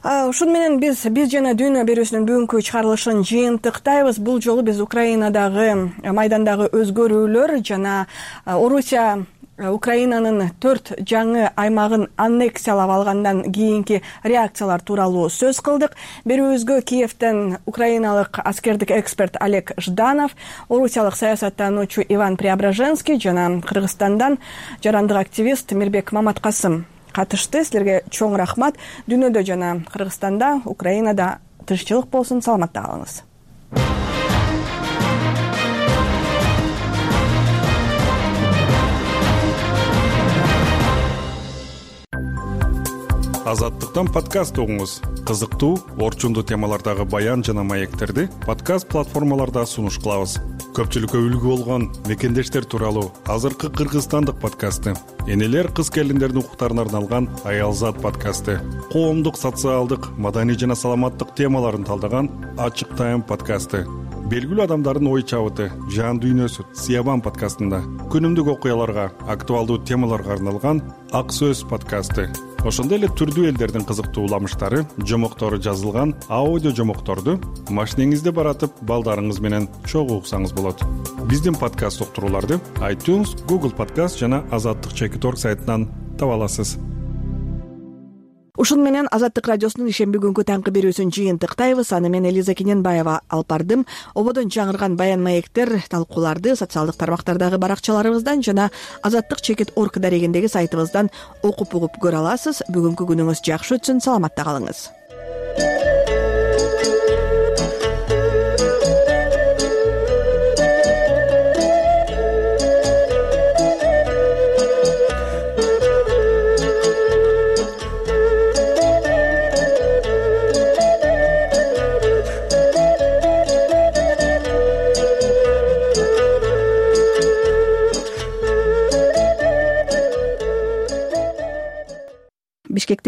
Ушун менен биз жана Дүйнө берүүсүнүн бүгүнкү чыгарылышын жыйынтыктайбыз. Бул жолу биз Украинадагы майдандагы өзгөрүүлөр жана Орусия Украинанын 4 жаңы аймагын аннексиялап алгандан кийинки реакциялар тууралуу сөз кылдык. Берүүбүзгө Киевден украиналык аскердик эксперт Олег Жданов, орусиялык саясаттануучу Иван Преображенский жана Кыргызстандан жарандык активист Мирбек Маматкасым катышты. Силерге чоң рахмат. Дүйнөдө жана Кыргызстанда, Украинада тынччылык болсун, саламатта калыңыз. Азаттыктан подкаст угуңуз. Кызыктуу, орчундуу темалардагы баян жана маектерди подкаст платформаларда сунуш кылабыз. Көпчүлүккө үлгү болгон мекендештер тууралуу азыркы кыргызстандык подкасты, энелер кыз келиндердин укуктарына арналган Аялзат подкасты, коомдук, социалдык, маданий жана саламаттык темаларын талдаган Ачык Тайм подкасты, белгилүү адамдардын ой чабыты, жан дүйнөсү Сиябан подкастында, күнүмдүк окуяларга, актуалдуу темаларга арналган Ак Сөз подкасты, ошондой эле түрдүү элдердин кызыктуу уламыштары, жомоктору жазылган аудио жомокторду машинеңизде баратып, балдарыңыз менен чогуу уксаңыз болот. Биздин подкаст уктурууларды iTunes, Google Podcast жана Азаттык.org сайтынан таба аласыз. Ушун менен Азаттык радиосунун ишемби күнкү таңкы берүүсүн жыйынтыктайбыз. Аны мен Элиза Кененбаева алып бардым. Ободон жаңырган баян маектер, талкууларды социалдык тармактардагы баракчаларыбыздан жана Азаттык.org дарегиндеги сайтыбыздан окуп угуп көрө аласыз. Бүгүнкү күнүңүз жакшы өтсүн, саламатта калыңыз.